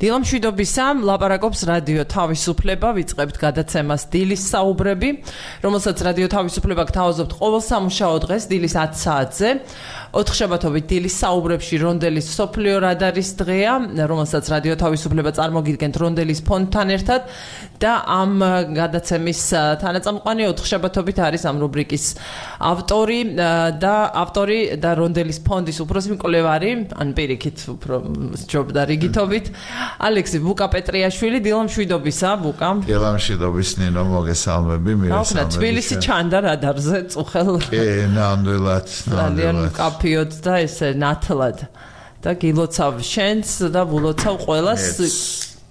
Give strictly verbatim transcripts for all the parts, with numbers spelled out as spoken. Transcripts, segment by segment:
დილამშვიდობისა, ლაპარაკობს რადიო თავისუფლება, ვიწყებთ გადაცემას დილის საუბრები, რომელსაც რადიო თავისუფლება გთავაზობთ ყოველ სამუშაო დღეს დილის ათ საათზე. ოთხშაბათობით დილის საუბრებში რონდელის მსოფლიო რადარის დღეა, რომელსაც რადიო თავისუფლება წარმოგიდგენთ რონდელის ფონდთან ერთად და ამ გადაცემის თანაწამყვანი ოთხშაბათობით არის ამ რუბრიკის ავტორი და ავტორი და რონდელის ფონდის უფროსი მკვლევარი, ან პირიქით უფრო ჯობდა რიგითობით. ალექსი ბუკა პეტრიაშვილი, დილამშვიდობისა, ბუკა. დილამშვიდობის ნინო, მოგესალმები, მირესალმები. თბილისი ჩანდა რადარზე, წუხელ. კი, ნამდვილად, ძალიან მკაფიოდ და ესე ნათლად. და გილოცავ შენს და ვულოცავ ყველას.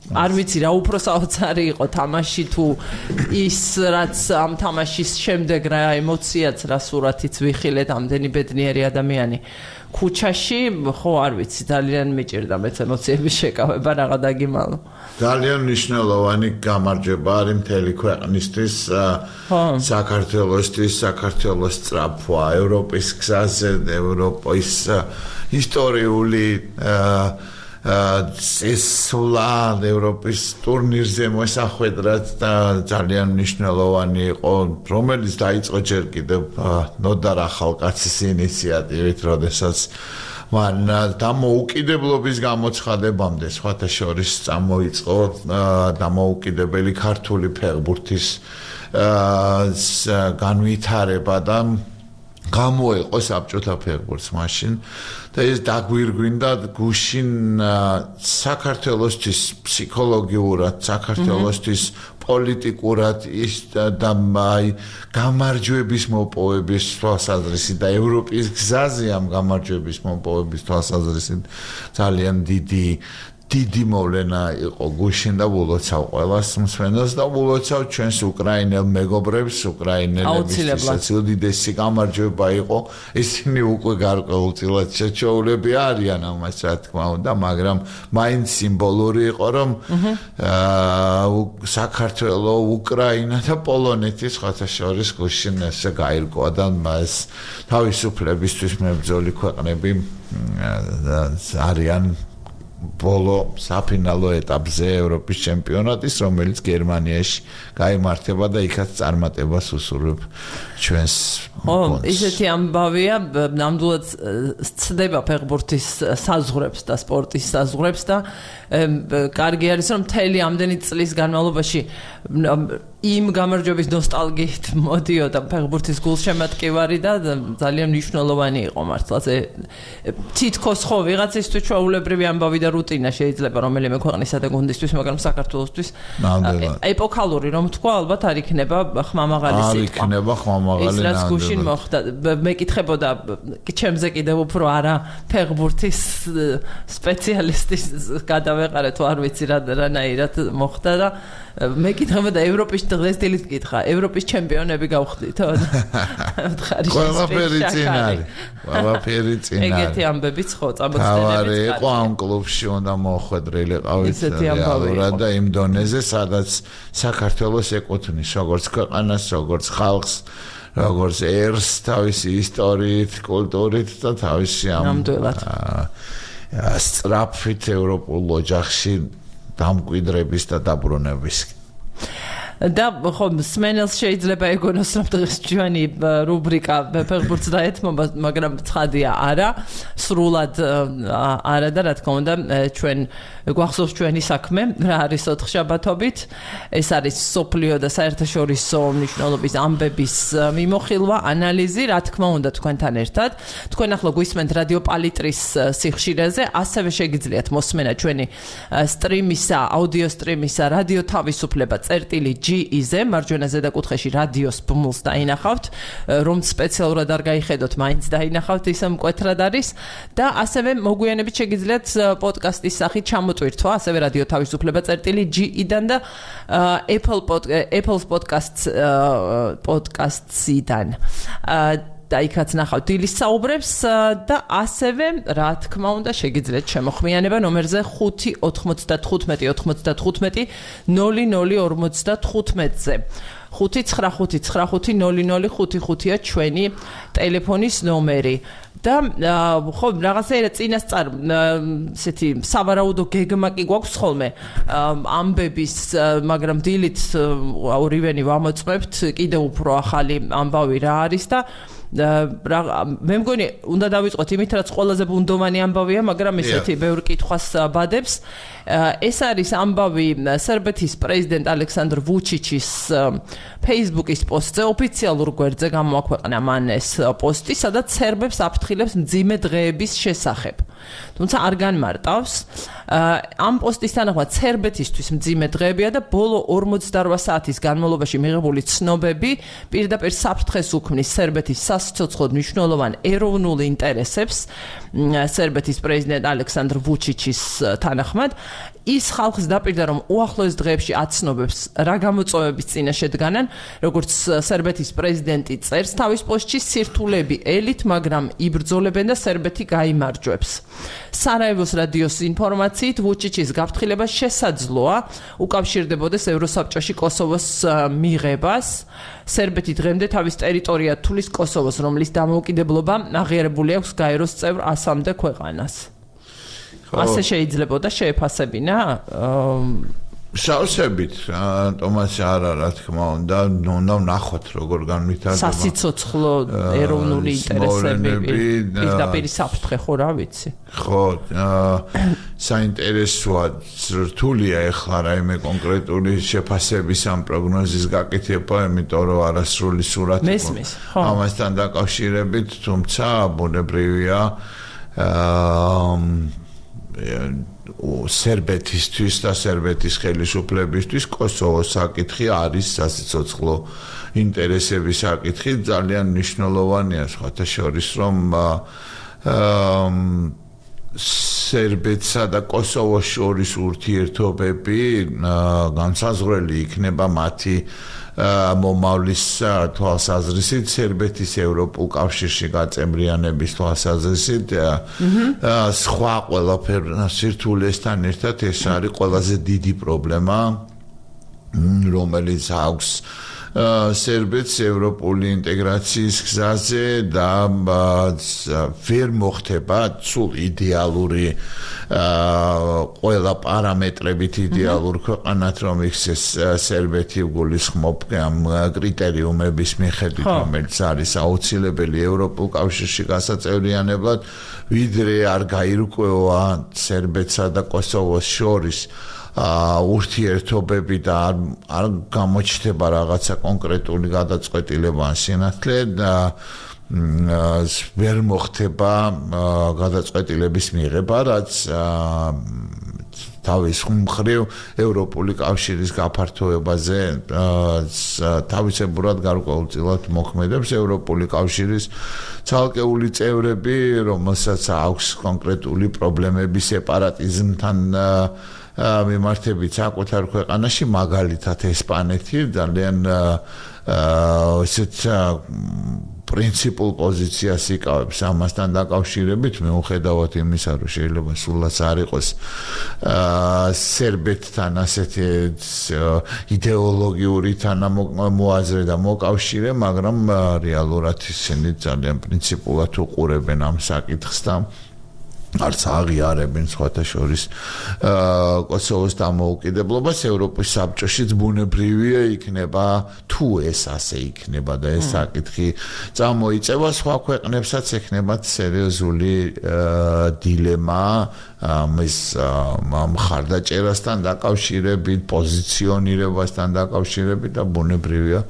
არ ვიცი რა უფრო საოცარი იყო თამაში თუ ის რაც ამ თამაშის შემდეგ რა ემოციაც რა სურათიც ვიხილეთ ამდენი ბედნიერი ადამიანი ქუჩაში ხო არ ვიცი ძალიან მიჭირდა მეც ემოციების შეკავება რაღა დაგიმალო ძალიან მნიშვნელოვანი გამარჯვება არის მთელი ქვეყნისთვის საქართველოსთვის საქართველოს სწრაფვა ევროპის გზაზე ევროპის ისტორიული ეს სულა ევროპის ტურნირზე მოსახვედრად და ძალიან მნიშვნელოვანი იყო, რომელიც დაიწყო ჯერ კიდევ ნოდარ ახალკაცის ინიციატივით, როდესაც მან დამოუკიდებლობის გამოცხადებამდე სხვათა შორის წამოიწყო დამოუკიდებელი ქართული ფეხბურთის განვითარება და გამოეყო საბჭოთა ფეხბურთს მაშინ და ეს დაგვირგვინდა გუშინ საქართველოსთვის ფსიქოლოგიურად, საქართველოსთვის პოლიტიკურად ის და აი გამარჯვების მოპოვების თვალსაზრისით და ევროპის გზაზე ამ გამარჯვების მოპოვების თვალსაზრისით ძალიან დიდი დიდი მოვლენა იყო გუშინ და ვულოცავ ყველას მსმენელს და ვულოცავ ჩვენს უკრაინელ მეგობრებს, უკრაინელებისთვის უდიდესი გამარჯვება იყო. ისინი უკვე გარკვეულწილად შეჩოულები არიან ამას რა თქმა უნდა, მაგრამ მაინც სიმბოლური იყო, რომ საქართველო, უკრაინა და პოლონეთი სხვათა შორის გუშინ ესე გაირკვა და მას თავისუფლებისთვის მებრძოლი ქვეყნები არიან ბოლო საფინალო ეტაპზე ევროპის ჩემპიონატის, რომელიც გერმანიაში გაიმართება და იქაც წარმატებას უსურვებ ჩვენს ხო, ისეთი ამბავია, ნამდვილად ცდება ფეხბურთის საზღვრებს და სპორტის საზღვრებს და კარგი არის, რომ მთელი ამდენი წლის განმავლობაში იმ გამარჯვების ნოსტალგიით მოდიოდა ფეხბურთის გულშემატკივარი და ძალიან მნიშვნელოვანი იყო მართლაც. თითქოს ხო ვიღაცისთვის ჩვეულებრივი ამბავი და რუტინა შეიძლება რომელიმე ქვეყნისა და გუნდისთვის, მაგრამ საქართველოსთვის ეპოქალური რომ თქვა, ალბათ არ იქნება ხმამაღალი სიტყვა. არ იქნება ხმამაღალი ნამდვილად. ის რაც გუშინ მოხდა, მეკითხებოდა ჩემზე კიდევ უფრო არა ფეხბურთის სპეციალისტის გადავეყარე თუ არ ვიცი რა რანაირად მოხდა და მეკითხებოდა ევროპის დღეს დილით კითხა, ევროპის ჩემპიონები გავხდითო? ყველაფერი წინ არის. ყველაფერი წინ არის. ეგეთი ამბებიც ხო, წამოწდენებიც თავარი იყო ამ კლუბში უნდა მოხვედრილიყავით რეალურად და იმ დონეზე, სადაც საქართველოს ეკუთვნის როგორც ქვეყანას, როგორც ხალხს, როგორც ერს, თავისი ისტორიით, კულტურით და თავისი ამ სწრაფით ევროპულ ოჯახში დამკვიდრების და დაბრუნების. და ხო მსმენელს შეიძლება ეგონოს რომ დღეს ჩვენი რუბრიკა ფეხბურთს დაეთმობა, მაგრამ ცხადია არა, სრულად არა და რა თქმა უნდა ჩვენ გვახსოვს ჩვენი საქმე რა არის ოთხშაბათობით. ეს არის სოფლიო და საერთაშორისო მნიშვნელობის ამბების მიმოხილვა, ანალიზი, რა თქმა უნდა თქვენთან ერთად. თქვენ ახლა გვისმენთ რადიო პალიტრის სიხშირეზე, ასევე შეგიძლიათ მოსმენა ჩვენი სტრიმისა, აუდიო სტრიმისა რადიო თავისუფლება წერტილი ჯი-ზე, მარჯვენა ზედაკუთხეში რადიოს ბმულს დაინახავთ, რომ სპეციალურად არ გაიხედოთ, მაინც დაინახავთ, ისე მკვეთრად არის და ასევე მოგვიანებით შეგიძლიათ პოდკასტის სახით ჩამოტვირთვა, ასევე რადიო თავისუფლება წერტილი ჯი-დან და Apple Apple Podcasts პოდკასტიდან. და იქაც ნახავთ დილის საუბრებს და ასევე რა თქმა უნდა შეგიძლიათ შემოხმიანება ნომერზე ხუთი ოთხმოცდათხუთმეტი ოცდათხუთმეტი ნული ნული ორმოცდათხუთმეტზე. ხუთი ცხრა ხუთი ცხრა ხუთი ნული ნული ხუთი ხუთია ჩვენი ტელეფონის ნომერი. და ხო რაღაცა წინასწარ ესეთი სავარაუდო გეგმა კი გვაქვს ხოლმე ამბების, მაგრამ დილით ორივენი ვამოწმებთ კიდევ უფრო ახალი ამბავი რა არის და მე მგონი უნდა დავიწყოთ იმით, რაც ყველაზე ბუნდოვანი ამბავია, მაგრამ ესეთი ბევრ კითხვას ბადებს. ეს არის ამბავი სერბეთის პრეზიდენტ ალექსანდრ ვუჩიჩის Facebook-ის პოსტზე, ოფიციალურ გვერდზე გამოაქვეყნა მან ეს პოსტი, სადაც სერბებს აფრთხილებს მძიმე დღეების შესახებ. თუმცა არ განმარტავს. ამ პოსტის თანახმად სერბეთისთვის მძიმე დღეებია და ბოლო ორმოცდაორ საათის განმავლობაში მიღებული ცნობები პირდაპირ საფრთხეს უქმნის სერბეთის სასიცოცხლოდ მნიშვნელოვან ეროვნულ ინტერესებს სერბეთის პრეზიდენტ ალექსანდრ ვუჩიჩის თანახმად. ის ხალხს დაპირდა, რომ უახლოეს დღეებში აცნობებს რა გამოწვევების წინაშე დგანან, როგორც სერბეთის პრეზიდენტი წერს თავის პოსტში, სირთულეები ელით, მაგრამ იბრძოლებენ და სერბეთი გაიმარჯვებს. სარაევოს რადიოს ინფორმაციით, ვუჩიჩის გაფრთხილება შესაძლოა უკავშირდებოდეს ევროსაბჭოში კოსოვოს მიღებას. სერბეთი დღემდე თავის ტერიტორია თulis კოსოვოს, რომლის დამოუკიდებლობა აღიარებული აქვს გაეროს წევრ ასამდე ქვეყანას. ასე შეიძლებოდა შეეფასებინა? შავსებით, თომასი არა, რა თქმა უნდა, უნდა ვნახოთ როგორ განვითარდება. სასიცოცხლო ეროვნული ინტერესები, პირდაპირ საფრთხე ხო რა ვიცი. ხო, საინტერესოა, რთულია ეხლა რაიმე კონკრეტული შეფასების ამ პროგნოზის გაკეთება, იმიტომ რომ არასრული სურათი მესმის, ხო. ამასთან დაკავშირებით, თუმცა ბუნებრივია აა სერბეთისთვის და სერბეთის ხელისუფლებისთვის კოსოვოს საკითხი არის სასიცოცხლო ინტერესების საკითხი, ძალიან მნიშვნელოვანია სხვათა შორის, რომ სერბეთსა და კოსოვოს შორის ურთიერთობები განსაზღვრელი იქნება მათი მომავლის თვალსაზრისით, სერბეთის ევროპულ კავშირში გაწევრიანების თვალსაზრისით, სხვა ყველაფერ სირთულესთან ერთად ეს არის ყველაზე დიდი პრობლემა, რომელიც აქვს სერბეთს ევროპული ინტეგრაციის გზაზე და ვერ მოხდება სულ იდეალური ყველა პარამეტრებით იდეალურ ქვეყანად, რომ იქცეს სერბეთი გულისხმობ ამ კრიტერიუმების მიხედვით, რომელიც არის აუცილებელი ევროპულ კავშირში გასაწევრიანებლად, ვიდრე არ გაირკვევა სერბეთსა და კოსოვოს შორის ურთიერთობები და არ გამოჩნდება რაღაცა კონკრეტული გადაწყვეტილება ან სინათლე და ვერ მოხდება გადაწყვეტილების მიღება, რაც თავის მხრივ ევროპული კავშირის გაფართოებაზე თავისებურად გარკვეულწილად მოქმედებს. ევროპული კავშირის ცალკეული წევრები, რომელსაც აქვს კონკრეტული პრობლემები სეპარატიზმთან მიმართებით საკუთარ ქვეყანაში, მაგალითად ესპანეთი ძალიან ესეთ პრინციპულ პოზიციას იკავებს ამასთან დაკავშირებით, მიუხედავად იმისა, რომ შეიძლება სულაც არ იყოს სერბეთთან ასეთი იდეოლოგიური თანამოაზრე და მოკავშირე, მაგრამ რეალურად ისინი ძალიან პრინციპულად უყურებენ ამ საკითხს და არც აღიარებენ სხვათა შორის კოსოვოს დამოუკიდებლობას. ევროპის საბჭოშიც ბუნებრივია იქნება, თუ ეს ასე იქნება და ეს საკითხი წამოიწევა, სხვა ქვეყნებსაც ექნებათ სერიოზული დილემა ამის მხარდაჭერასთან დაკავშირებით, პოზიციონირებასთან დაკავშირებით და ბუნებრივია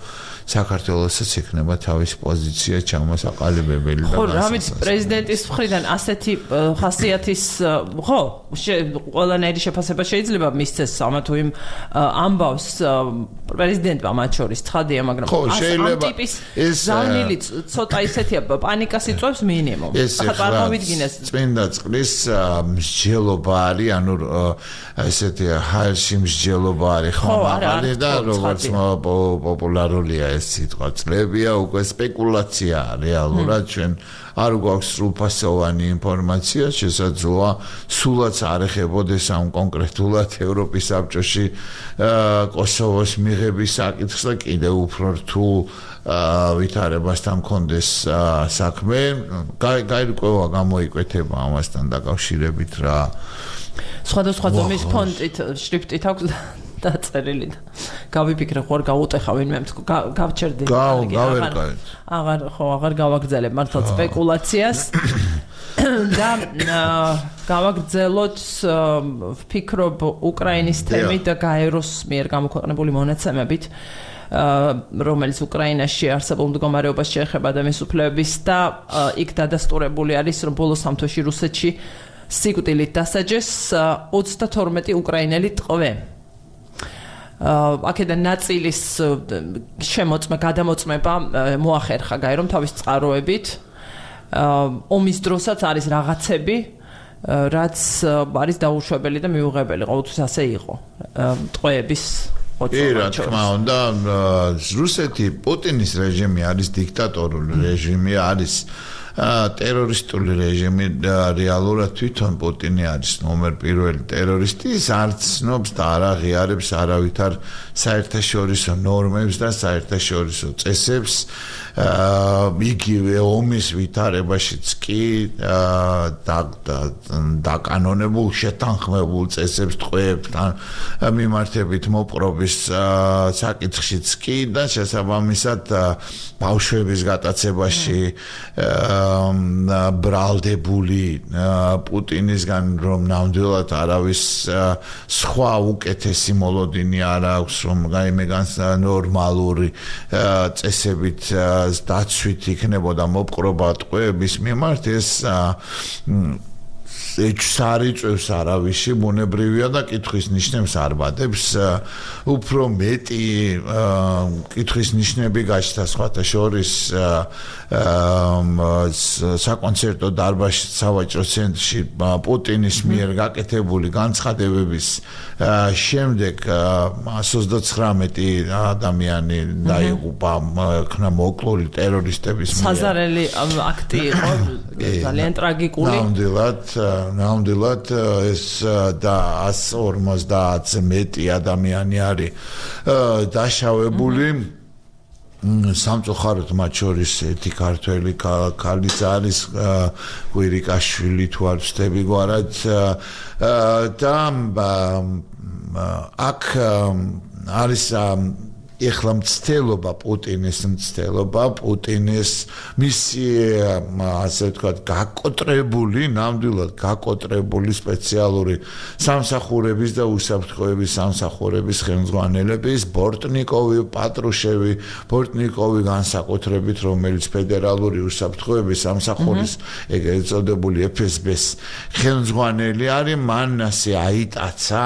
საქართველოსაც ექნება თავის პოზიცია ჩამოსაყალიბებელი და ხო, რა ვიცი, პრეზიდენტის მხრიდან ასეთი ხასიათის ხო, ყველანაირი შეფასება შეიძლება მისცეს ამა თუ იმ ამბავს პრეზიდენტმა მათ შორის ცხადია, მაგრამ ამ ტიპის ზავნილი ცოტა ისეთია, პანიკას იწვევს მინიმუმ. ახლა წარმოვიდგინეს წმინდა წყლის მსჯელობა არის, ანუ ესეთი ჰაერში მსჯელობა არის ხო, მაღალი და როგორც პოპულარულია ეს სიტყვა წლებია, უკვე სპეკულაცია რეალურად ჩვენ არ გვაქვს სრულფასოვანი ინფორმაცია, შესაძლოა სულაც არ ეხებოდეს ამ კონკრეტულად ევროპის საბჭოში კოსოვოს მიღების საკითხს და კიდევ უფრო რთულ ვითარებასთან მქონდეს საქმე. გაირკვევა გამოიკვეთება ამასთან დაკავშირებით რა. სხვადასხვა ზომის ფონტით, შრიფტით აქვს დაწერილი და გავიფიქრე ხო არ გავუტეხა ვინმე გავჩერდი. გავერკავ. აღარ ხო აღარ გავაგრძელებ მართლა სპეკულაციას. და გავაგრძელოთ ვფიქრობ უკრაინის თემით და გაეროს მიერ გამოქვეყნებული მონაცემებით, რომელიც უკრაინაში არსებულ მდგომარეობას შეეხება და მის უფლებების და იქ დადასტურებული არის, რომ ბოლო სამ თვეში რუსეთში სიკვდილით დასაჯეს ოცდათორმეტი უკრაინელი ტყვე. აქედან ნაწილის შემოწმება, გადამოწმება მოახერხა გაერომ თავის წყაროებით. ომის დროსაც არის რაღაცები, რაც არის დაუშვებელი და მიუღებელი, ყოველთვის ასე იყო. ტყვეების კი, რა თქმა უნდა, რუსეთი პუტინის რეჟიმი არის დიქტატორული რეჟიმი, არის ტერორისტული რეჟიმი, რეალურად თვითონ პუტინი არის ნომერ პირველი ტერორისტი, ის არ ცნობს და არ აღიარებს არავითარ საერთაშორისო ნორმებს და საერთაშორისო წესებს. იგივე ომის ვითარებაშიც კი დაკანონებულ შეთანხმებულ წესებს ტყვეებთან მიმართებით მოპყრობის საკითხშიც კი და შესაბამისად ბავშვების გატაცებაში ბრალდებული პუტინისგან რომ ნამდვილად არავის სხვა უკეთესი მოლოდინი არ აქვს, რომ გაიმეგან ნორმალური წესებით დაცვით იქნებოდა მოპყრობა ტყვეების მიმართ, ეს ეჭვს არ იწვევს არავისი, ბუნებრივია და კითხვის ნიშნებს არ ბადებს. უფრო მეტი კითხვის ნიშნები გაჩნდა სხვათა შორის საკონცერტო დარბაზში სავაჭრო ცენტრში პუტინის მიერ გაკეთებული განცხადებების შემდეგ ოცდათხრამეტი ადამიანი დაიღუპა, იქნა მოკლული ტერორისტების მიერ. საზარელი აქტი იყო, ძალიან ტრაგიკული. ნამდვილად ნამდვილად ეს და ას ორმოცდაათზე მეტი ადამიანი არის დაშავებული. სამწუხაროდ მათ შორის ერთი ქართველი ქალიც არის, კვირიკაშვილი თუ არ ვცდები გვარად და აქ არის ეხლა მცდელობა პუტინის მცდელობა პუტინის მისი ასე ვთქვათ გაკოტრებული ნამდვილად გაკოტრებული სპეციალური სამსახურების და უსაფრთხოების სამსახურების ხელმძღვანელების ბორტნიკოვი, პატრუშევი, ბორტნიკოვი განსაკუთრებით, რომელიც ფედერალური უსაფრთხოების სამსახურის ეგრეთ წოდებული ეფ ეს ბე-ს ხელმძღვანელი არის, მან ასე აიტაცა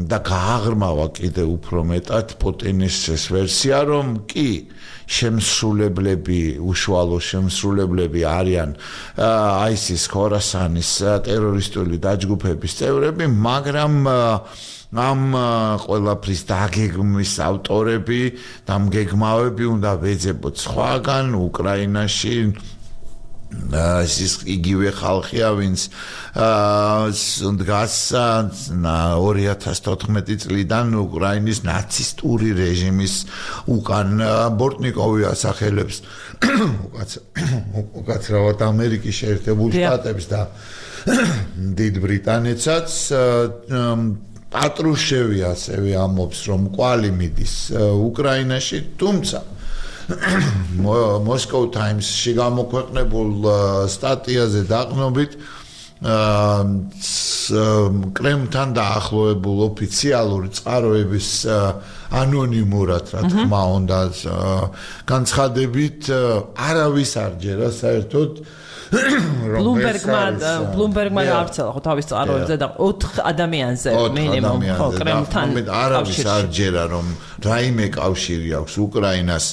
და გააღრმავა კიდევ უფრო მეტად პუტინის ეს ვერსია, რომ კი შემსრულებლები, უშუალო შემსრულებლები არიან აისის ხორასანის ტერორისტული დაჯგუფების წევრები, მაგრამ ამ ყველაფრის დაგეგმვის ავტორები და მგეგმავები უნდა ვეძებოთ სხვაგან უკრაინაში ის იგივე ხალხია, ვინც დგას ორი ათას თოთხმეტი წლიდან უკრაინის ნაცისტური რეჟიმის უკან. ბორტნიკოვი ასახელებს უკაცრავად ამერიკის შეერთებულ შტატებს და დიდ ბრიტანეთსაც. პატრუშევი ასევე ამბობს, რომ კვალი მიდის უკრაინაში, თუმცა Moscow Times-ში გამოქვეყნებულ სტატიაზე დაყნობით კრემლთან დაახლოებულ ოფიციალური წყაროების ანონიმურად, რა თქმა უნდა, განცხადებით არავის არ ჯერა საერთოდ Bloomberg-მან Bloomberg-მან არცელა ხო თავის წყაროებზე და ოთხ ადამიანზე მინიმუმ ხო კრემლთან არავის არ ჯერა რომ რაიმე კავშირი აქვს უკრაინას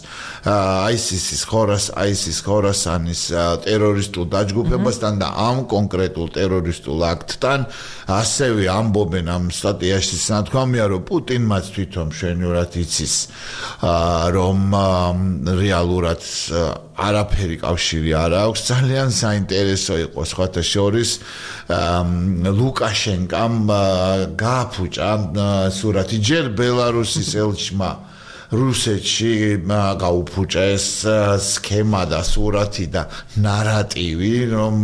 აისის ხორას აისის ხორასანის ტერორისტულ დაჯგუფებასთან და ამ კონკრეტულ ტერორისტულ აქტთან ასევე ამბობენ ამ სტატიაში ნათქვამია რომ პუტინმაც თვითონ მშვენივრად იცის რომ რეალურად არაფერი კავშირი არ აქვს ძალიან საინტერესო იყო სხვათა შორის ლუკაშენკამ გააფუჭა სურათი ჯერ ბელარუსის ელჩმა რუსეთში გაუფუჭა ეს სქემა და სურათი და ნარატივი რომ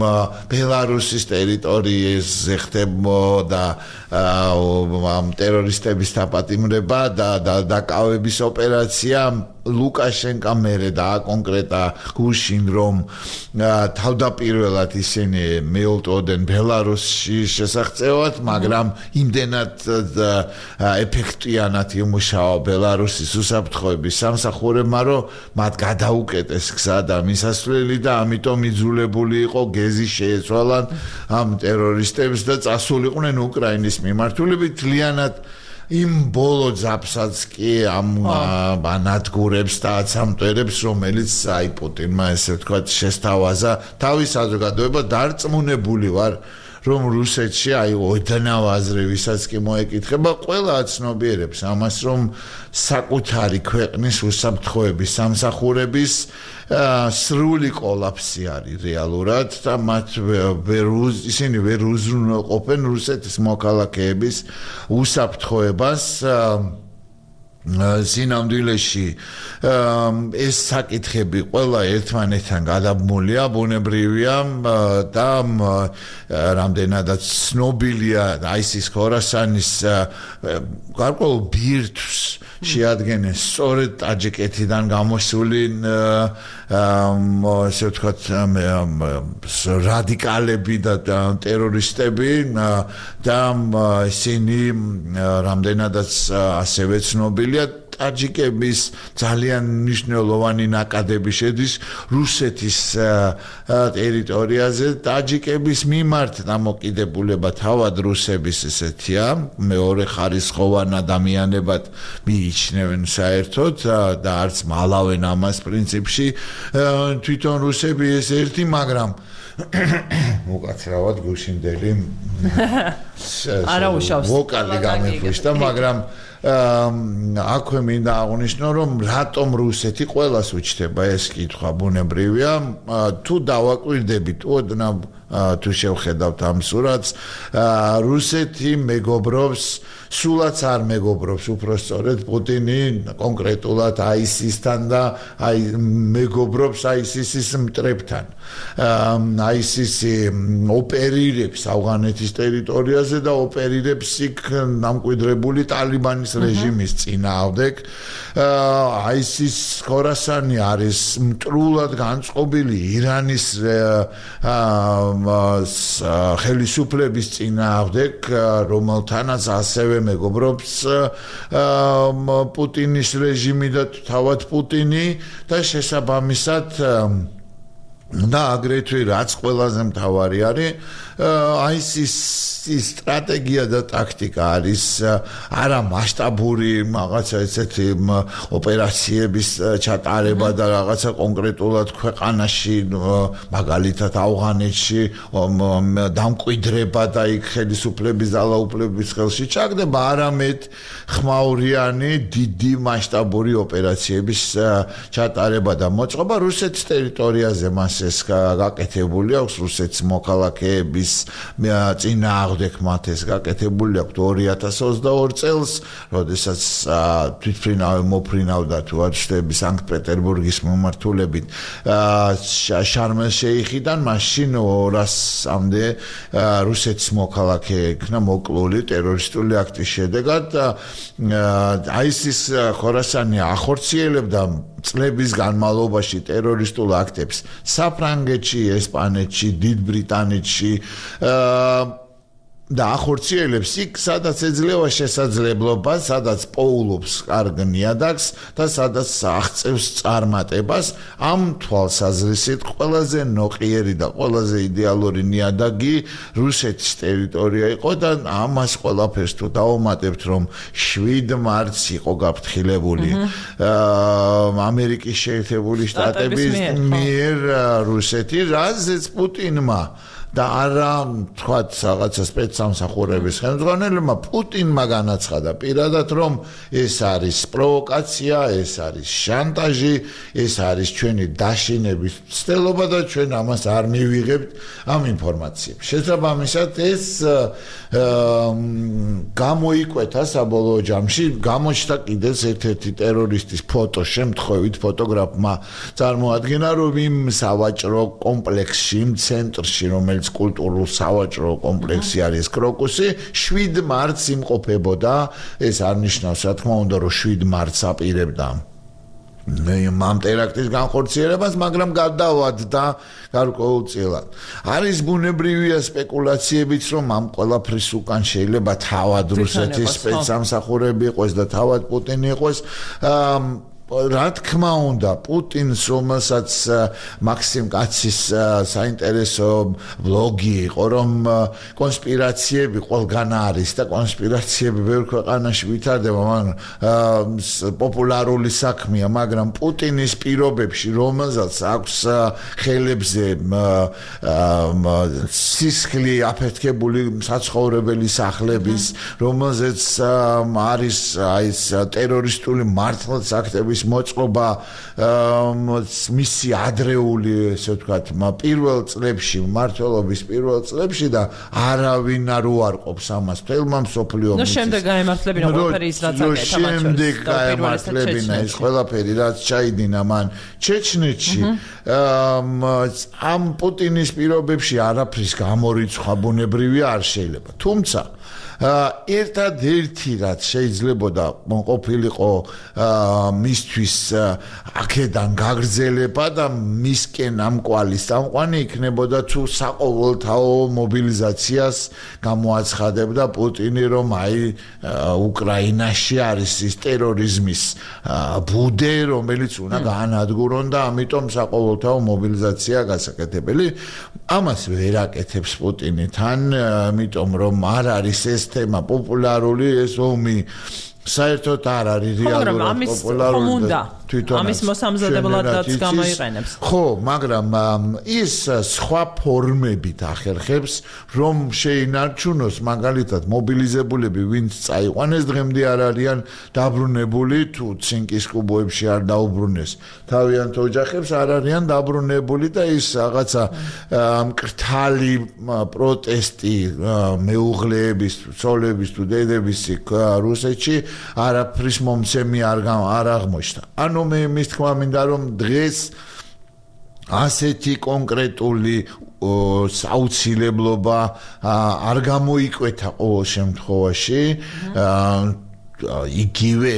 ბელარუსის ტერიტორიაზე ხდებოდა ამ ტერორისტების დაპატიმრება და დაკავების ოპერაცია ლუკაშენკა მერე დააკონკრეტა გუშინ რომ თავდაპირველად ისინი მეულტოდნენ ბელარუსში შესახწევად მაგრამ იმდენად ეფექტიანად იმუშავა ბელარუსის უსაფრთხოების სამსახურებმა რომ მათ გადაუკეტეს გზა და მისასვლელი და ამიტომ იძულებული იყო გეზი შეეცვალან ამ ტერორისტებს და წასულიყვნენ უკრაინის მიმართულებით ძალიანად იმ ბოლო ძაფსაც კი ამ ანადგურებს და აცამტვერებს რომელიც აი პუტინმა ესე ვთქვათ შესთავაზა თავის საზოგადოება დარწმუნებული ვარ რომ რუსეთში აი ოდნავ აზრი ვისაც კი მოეკითხება ყველა აცნობიერებს ამას რომ საკუთარი ქვეყნის უსაფრთხოების სამსახურების სრული კოლაფსი არის რეალურად და მათ ვერ ისინი ვერ უზრუნველყოფენ რუსეთის მოქალაქეების უსაფრთხოებას სინამდვილეში ეს საკითხები ყველა ერთმანეთთან გადაბმულია ბუნებრივია და რამდენადაც ცნობილია აისის ხორასანის გარკვეულ ბირთვს შეადგენენ სწორედ ტაჯიკეთიდან გამოსული ასე ვთქვათ რადიკალები და ტერორისტები და ისინი რამდენადაც ასევე ცნობილია ტაჯიკების ძალიან მნიშვნელოვანი ნაკადები შედის რუსეთის ტერიტორიაზე ტაჯიკების მიმართ დამოკიდებულება თავად რუსების ესეთია მეორე ხარისხოვან ადამიანებად მიიჩნევენ საერთოდ და არც მალავენ ამას პრინციპში თვითონ რუსები ეს ერთი მაგრამ უკაცრავად გუშინდელი არა უშავს ვოკალი გამეფუშდა მაგრამ აქვე მინდა აღნიშნო რომ რატომ რუსეთი ყველას უჩნდება ეს კითხვა ბუნებრივია თუ დავაკვირდებით ოდნავ თუ შევხედავთ ამ სურათს რუსეთი მეგობრობს სულაც არ მეგობრობს უпростоრედ პუტინი კონკრეტულად აისისთან და აი მეგობრობს აისისის მტრებთან აისისი ოპერირებს ავღანეთის ტერიტორიაზე და ოპერირებს იქ დამკვიდრებული ტალიბანის რეჟიმის წინააღმდეგ აისის ხორასანი არის მტრულად განწყობილი ირანის ხელისუფლების წინააღმდეგ რომელთანაც ასევე მეგობრობს პუტინის რეჟიმი და თავად პუტინი და შესაბამისად და აგრეთვე რაც ყველაზე მთავარი არის აისის სტრატეგია და ტაქტიკა არის არა მასშტაბური რაღაცა ესეთი ოპერაციების ჩატარება და რაღაცა კონკრეტულად ქვეყანაში მაგალითად ავღანეთში დამკვიდრება და იქ ხელისუფლების ძალაუფლების ხელში ჩაგდება არამედ ხმაურიანი დიდი მასშტაბური ოპერაციების ჩატარება და მოწყობა რუსეთის ტერიტორიაზე მას ეს გაკეთებული აქვს რუსეთის მოქალაქეების წინააღმდეგ მათ ეს გაკეთებული აქვს ორი ათას ოცდაორი წელს როდესაც თვითმფრინავი მოფრინავდა თუ არ ჩნდები სანქტ-პეტერბურგის მიმართულებით შარმელ-შეიხიდან მაშინ ორასამდე რუსეთის მოქალაქე იქნა მოკლული ტერორისტული აქტის შედეგად აისის ხორასანი ახორციელებდა წლების განმავლობაში ტერორისტულ აქტებს საფრანგეთში, ესპანეთში, დიდ ბრიტანეთში და ახორციელებს იქ, სადაც ეძლევა შესაძლებლობა, სადაც პოულობს კარგ ნიადაგს და სადაც აღწევს წარმატებას, ამ თვალსაზრისით ყველაზე ნოყიერი და ყველაზე იდეალური ნიადაგი რუსეთის ტერიტორია იყო და ამას ყველაფერს თუ დავუმატებთ, რომ შვიდ მარტს იყო გაფრთხილებული ამერიკის შეერთებული შტატების მიერ რუსეთი, რაზეც პუტინმა და არა თქვათ რაღაცა სპეცსამსახურების ხელმძღვანელებმა პუტინმა განაცხადა პირადად რომ ეს არის პროვოკაცია, ეს არის შანტაჟი, ეს არის ჩვენი დაშინების ცდელობა და ჩვენ ამას არ მივიღებთ ამ ინფორმაციებს. შესაბამისად ეს გამოიკვეთა საბოლოო ჯამში, გამოჩნდა კიდეც ერთ-ერთი ტერორისტის ფოტო შემთხვევით ფოტოგრაფმა წარმოადგენა რომ იმ სავაჭრო კომპლექსში, იმ ცენტრში, რომელიც კულტურულ სავაჭრო კომპლექსი არის კროკუსი, შვიდ მარტს იმყოფებოდა, ეს არ ნიშნავს რა თქმა უნდა რომ შვიდ მარტს აპირებდა ამ ტერაქტის განხორციელებას, მაგრამ გადავადდა გარკვეულწილად. არის ბუნებრივია სპეკულაციებიც, რომ ამ ყველაფრის უკან შეიძლება თავად რუსეთის სპეცსამსახურები იყოს და თავად პუტინი იყოს. რა თქმა უნდა, პუტინს, რომელსაც მაქსიმ კაცის საინტერესო ბლოგი იყო, რომ კონსპირაციები ყველგან არის და კონსპირაციები ბევრ ქვეყანაში ვითარდება, მაგრამ პოპულარული საქმეა, მაგრამ პუტინის პირობებში, რომელსაც აქვს ხელებზე სისხლი აფეთქებული საცხოვრებელი სახლების, რომელზეც არის აი ეს ტერორისტული მართლაც აქტები მოწყობა მისი ადრეული ესე ვთქვათ პირველ წლებში მმართველობის პირველ წლებში და არავინ არ უარყოფს ამას თელმა მსოფლიო ნუ შემდეგ გაემართლებინა ყველაფერი ის რაც აკეთა მათ შემდეგ გაემართლებინა ის ყველაფერი რაც ჩაიდინა მან ჩეჩნეთში ამ პუტინის პირობებში არაფრის გამორიცხვა ბუნებრივია არ შეიძლება თუმცა ერთადერთი რაც შეიძლებოდა ყოფილიყო მისთვის აქედან გაგრძელება და მისკენ ამ კვალის წამყვანი იქნებოდა თუ საყოველთაო მობილიზაციას გამოაცხადებდა პუტინი რომ აი უკრაინაში არის ის ტერორიზმის ბუდე რომელიც უნდა გაანადგურონ და ამიტომ საყოველთაო მობილიზაცია გასაკეთებელი ამას ვერ აკეთებს პუტინი თან ამიტომ რომ არ არის ეს თემა პოპულარული ეს ომი საერთოდ არ არის რეალურად პოპულარული თვითონ ამის მოსამზადებელადაც გამოიყენებს ხო მაგრამ ის სხვა ფორმებით ახერხებს რომ შეინარჩუნოს მაგალითად მობილიზებულები ვინც წაიყვანეს დღემდე არ არიან დაბრუნებული თუ ცინკის კუბოებში არ დაუბრუნეს თავიანთ ოჯახებს არ არიან დაბრუნებული და ის რაღაცა მკრთალი პროტესტი მეუღლეების ცოლების თუ დედების რუსეთში არაფრის მომცემი არ არ აღმოჩნდა ანუ მე მის თქმა მინდა რომ დღეს ასეთი კონკრეტული საუცილებლობა არ გამოიკვეთა ყოველ შემთხვევაში იგივე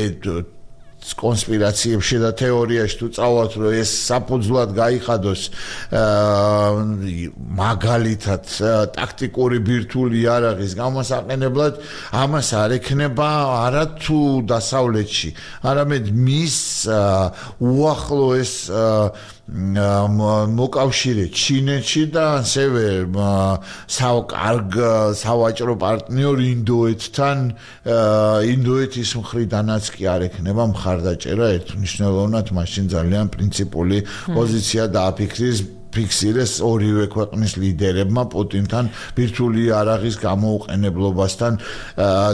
კონსპირაციებში და თეორიაში თუ წავალთ რომ ეს საფუძვლად გაიხადოს მაგალითად ტაქტიკური ბირთვული იარაღის გამოსაყენებლად ამას არ ექნება არა თუ დასავლეთში არამედ მის უახლოეს მოკავშირე ჩინეთში და ასევე საკარგ სავაჭრო პარტნიორ ინდოეთთან ინდოეთის მხრიდანაც კი არ ექნება მხარდაჭერა ერთმნიშვნელოვნად მაშინ ძალიან პრინციპული პოზიცია დააფიქსირეს ფიქსირეს ორივე ქვეყნის ლიდერებმა პუტინთან ბირთვული იარაღის გამოუყენებლობასთან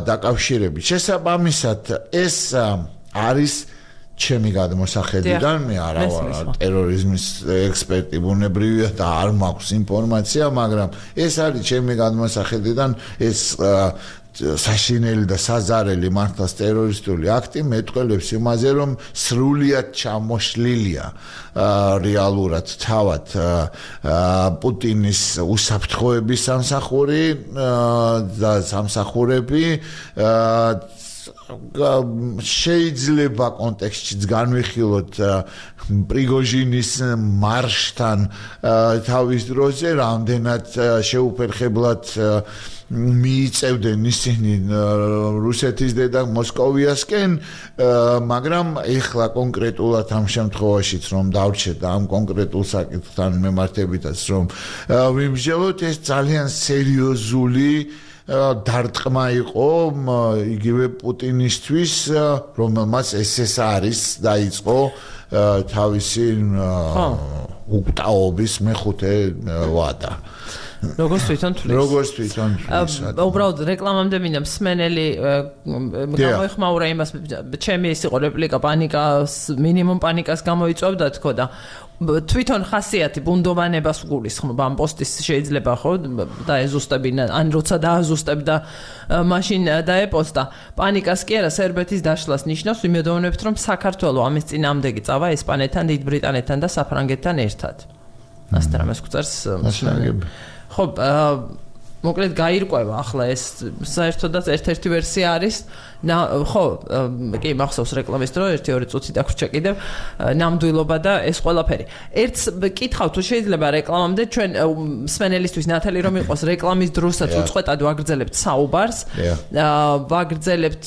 დაკავშირებით შესაბამისად ეს არის ჩემი გადმოსახედიდან მე არა ვარ ტერორიზმის ექსპერტი ბუნებრივია და არ მაქვს ინფორმაცია მაგრამ ეს არის ჩემი გადმოსახედიდან ეს საშინელი და საზარელი მართლაც ტერორისტული აქტი მეტყველებს იმაზე რომ სრულიად ჩამოშლილია რეალურად თავად პუტინის უსაფრთხოების სამსახური და სამსახურები შეიძლება კონტექსტშიც განვიხილოთ პრიგოჟინის მარშთან თავის დროზე რამდენად შეუფერხებლად მიიწევდნენ ისინი რუსეთის დედა მოსკოვიასკენ მაგრამ ეხლა კონკრეტულად ამ შემთხვევაშიც რომ დავრჩეთ ამ კონკრეტულ საკითხთან მიმართებითაც რომ ვიმსჯელოთ ეს ძალიან სერიოზული დარტყმა იყო იგივე პუტინისთვის რომელმაც ეს ეს არის დაიწყო თავისი უკტაობის მეხუთე ვადა როგორც თვითონ თulis. როგორც თვითონ თulis. უბრალოდ რეკლამამდე მინდა მსმენელი გამოიხმაურა იმას, ჩემი ეს იყო რეპლიკა პანიკას, მინიმუმ პანიკას გამოიწვევდა თქო და თვითონ ხასიათი ბუნდოვანებას გულისხმობ ამ პოსტის შეიძლება ხო დაეზუსტებინა ან როცა დააზუსტებდა მაშინ დაეპოსტა პანიკას კი არა სერბეთის დაშლას ნიშნავს ვიმედოვნებთ რომ საქართველო ამის წინააღმდეგი წავა ესპანეთთან დიდ ბრიტანეთთან და საფრანგეთთან ერთად ასეთ რამეს გვწერს ხო მოკლედ გაირკვევა ახლა ეს საერთოდაც ერთ-ერთი ვერსია არის ხო კი მახსოვს რეკლამის დრო ერთი ორი წუთი დაგვრჩა კიდევ ნამდვილობა და ეს ყველაფერი ერთს კითხავ თუ შეიძლება რეკლამამდე ჩვენ მსმენელისთვის ნათელი რომ იყოს რეკლამის დროსაც უწყვეტად ვაგრძელებთ საუბარს ვაგრძელებთ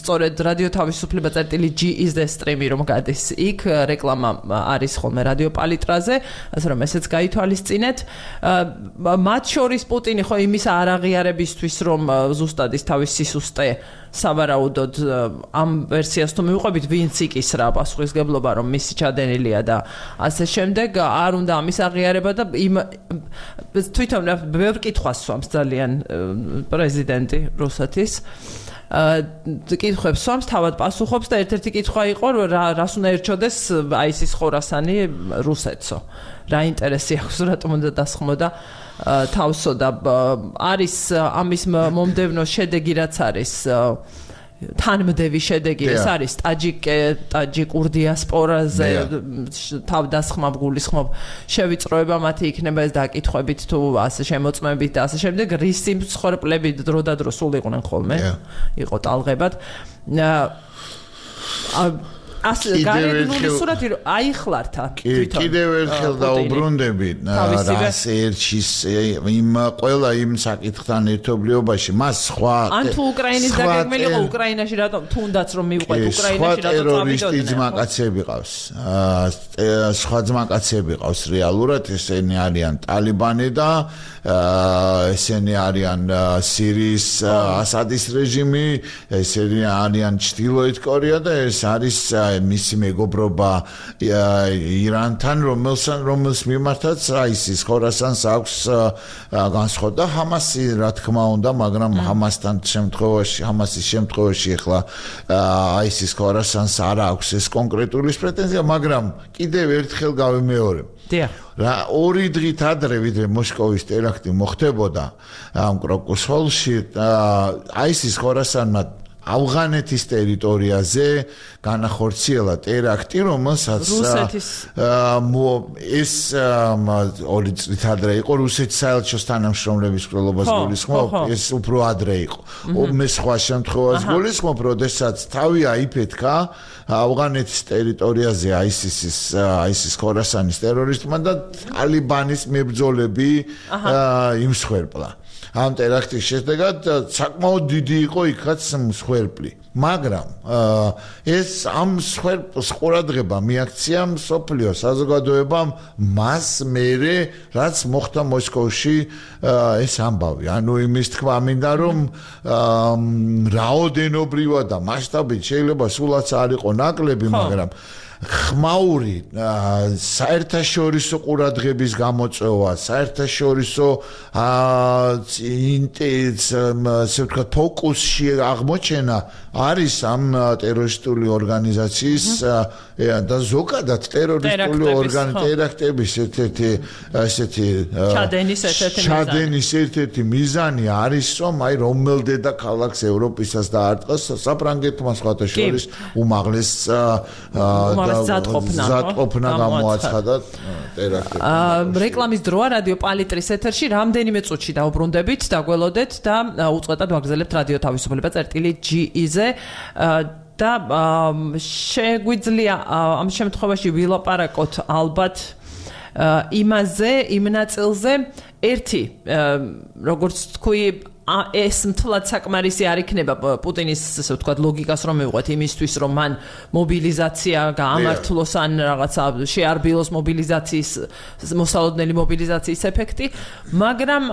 სწორედ რადიო თავისუფლება წერტილი G is the stream-ი რომ გადის იქ რეკლამა არის ხოლმე რადიო პალიტრაზე ასე რომ ესეც გაითვალისწინეთ მათ შორის პუტინი ხო იმის არაღიარებისთვის რომ ზუსტად ის თავის სისუსტე სავარაუდოდ ამ ვერსიას თუ მივყვებით ვინც იკისრა პასუხისგებლობა რომ მისი ჩადენილია და ასე შემდეგ არ უნდა ამის აღიარება და იმ თვითონ ბევრ კითხვას swams ძალიან პრეზიდენტი რუსეთის კითხვებს swams თავად პასუხობს და ერთ-ერთი კითხვა იყო რას უნდა ერჩოდეს აისის ხორასანი რუსეთსო რა ინტერესი აქვს რატომ უნდა დასხმოდა თავსო და არის ამის მომდევნო შედეგი რაც არის თანმდევი შედეგი ეს არის ტაჯიკე ტაჯიკურ დიასპორაზე თავდასხმა გულისხმობ შევიწროება მათი იქნება ეს დაკითხვებით თუ ასე შემოწმებით და ასე შემდეგ რისი მსხვერპლები დრო და დრო სულ იყვნენ ხოლმე იყო ტალღებად ასე გარეგნული სურათი აიხლართა თვითონ კიდევ ერთხელ დაუბრუნდები რას ერჩის იმ ყველა იმ საკითხთან ერთობლიობაში მას სხვა ან თუ უკრაინის დაგეგმილი იყო უკრაინაში რატომ თუნდაც რომ მივყვეთ უკრაინაში რატომ ტერორისტი ძმაკაცები ყავს სხვა ძმაკაცები ყავს რეალურად ესენი არიან ტალიბანი და ესენი არიან სირიის ასადის რეჟიმი ესენი არიან ჩრდილოეთ კორეა და ეს არის მისი მეგობრობა ირანთან რომელსაც რომელს მიმართაც აისის ხორასანს აქვს განსხვავდა ჰამასი რა თქმა უნდა მაგრამ ჰამასთან შემთხვევაში ჰამასის შემთხვევაში ახლა აისის ხორასანს არ აქვს ეს კონკრეტული პრეტენზია მაგრამ კიდევ ერთხელ გავიმეორებ რა ორი დღით ადრე ვიდრე მოსკოვის ტერაქტი მოხდებოდა ამ კროკუსჰოლში აისის ხორასანმა ავღანეთის ტერიტორიაზე განახორციელა ტერაქტი, რომელსაც ეს ორი წლით ადრე იყო რუსეთის საელჩოს თანამშრომლების მკვლელობას გულისხმობ, ეს უფრო ადრე იყო. მე სხვა შემთხვევას გულისხმობ, როდესაც თავი აიფეთქა ავღანეთის ტერიტორიაზე აისისის აისის ხორასანის ტერორისტმა და ტალიბანის მებრძოლები იმსხვერპლა. ამ ტერაქტის შედეგად საკმაოდ დიდი იყო იქაც მსხვერპლი. მაგრამ ეს ამ მსხვერპლს ყურადღება მიაქცია მსოფლიო საზოგადოებამ მას მერე რაც მოხდა მოსკოვში ეს ამბავი. ანუ იმის თქმა მინდა რომ რაოდენობრივად და მასშტაბით შეიძლება სულაც არ იყო ნაკლები, მაგრამ ხმაური საერთაშორისო ყურადღების გამოწვევა, საერთაშორისო ასე ვთქვათ ფოკუსში აღმოჩენა არის ამ ტერორისტული ორგანიზაციის და ზოგადად ტერორისტული ორგანიზაციების ერთ-ერთი ასეთი ჩადენის ერთ-ერთი მიზანი არის რომ აი რომელ დედაქალაქს ევროპისას დაარტყას საფრანგეთმა სხვათა შორის უმაღლეს ზატყოფნა გამოაცხადა ტერაქტი. რეკლამის დროა რადიო პალიტრის ეთერში რამდენიმე წუთში დაუბრუნდებით, დაგველოდეთ და უწყვეტად ვაგრძელებთ რადიო თავისუფლება წერტილი G-ზე და შეგვიძლია ამ შემთხვევაში ვილაპარაკოთ ალბათ იმაზე, იმ ნაწილზე ერთი როგორც თქვი ეს მთლად საკმარისი არ იქნება პუტინის ასე ვთქვათ ლოგიკას რომ მივყვეთ იმისთვის რომ მან მობილიზაცია გაამართლოს ან რაღაცა შეარბილოს მობილიზაციის მოსალოდნელი მობილიზაციის ეფექტი, მაგრამ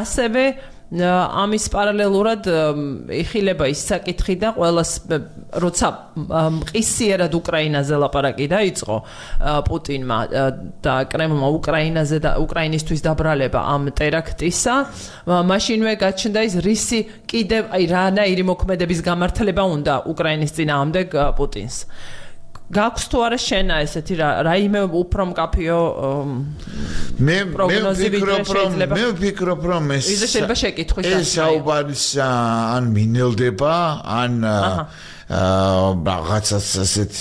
ასევე ამის პარალელურად იხილება ის საკითხი და ყველას როცა მყისიერად უკრაინაზე ლაპარაკი დაიწყო პუტინმა და კრემლმა უკრაინაზე და უკრაინისთვის დაბრალება ამ ტერაქტისა, მაშინვე გაჩნდა ის რისი კიდევ აი რანაირი მოქმედების გამართლება უნდა უკრაინის წინააღმდეგ პუტინს. გაქვს თუ არა შენა ესეთი რაიმე უფრო მკაფიო მე მე ვფიქრობ რომ ეს ის შეიძლება შეკითხვის ეს საუბარის ან მინელდება ან რაღაცას ასეთ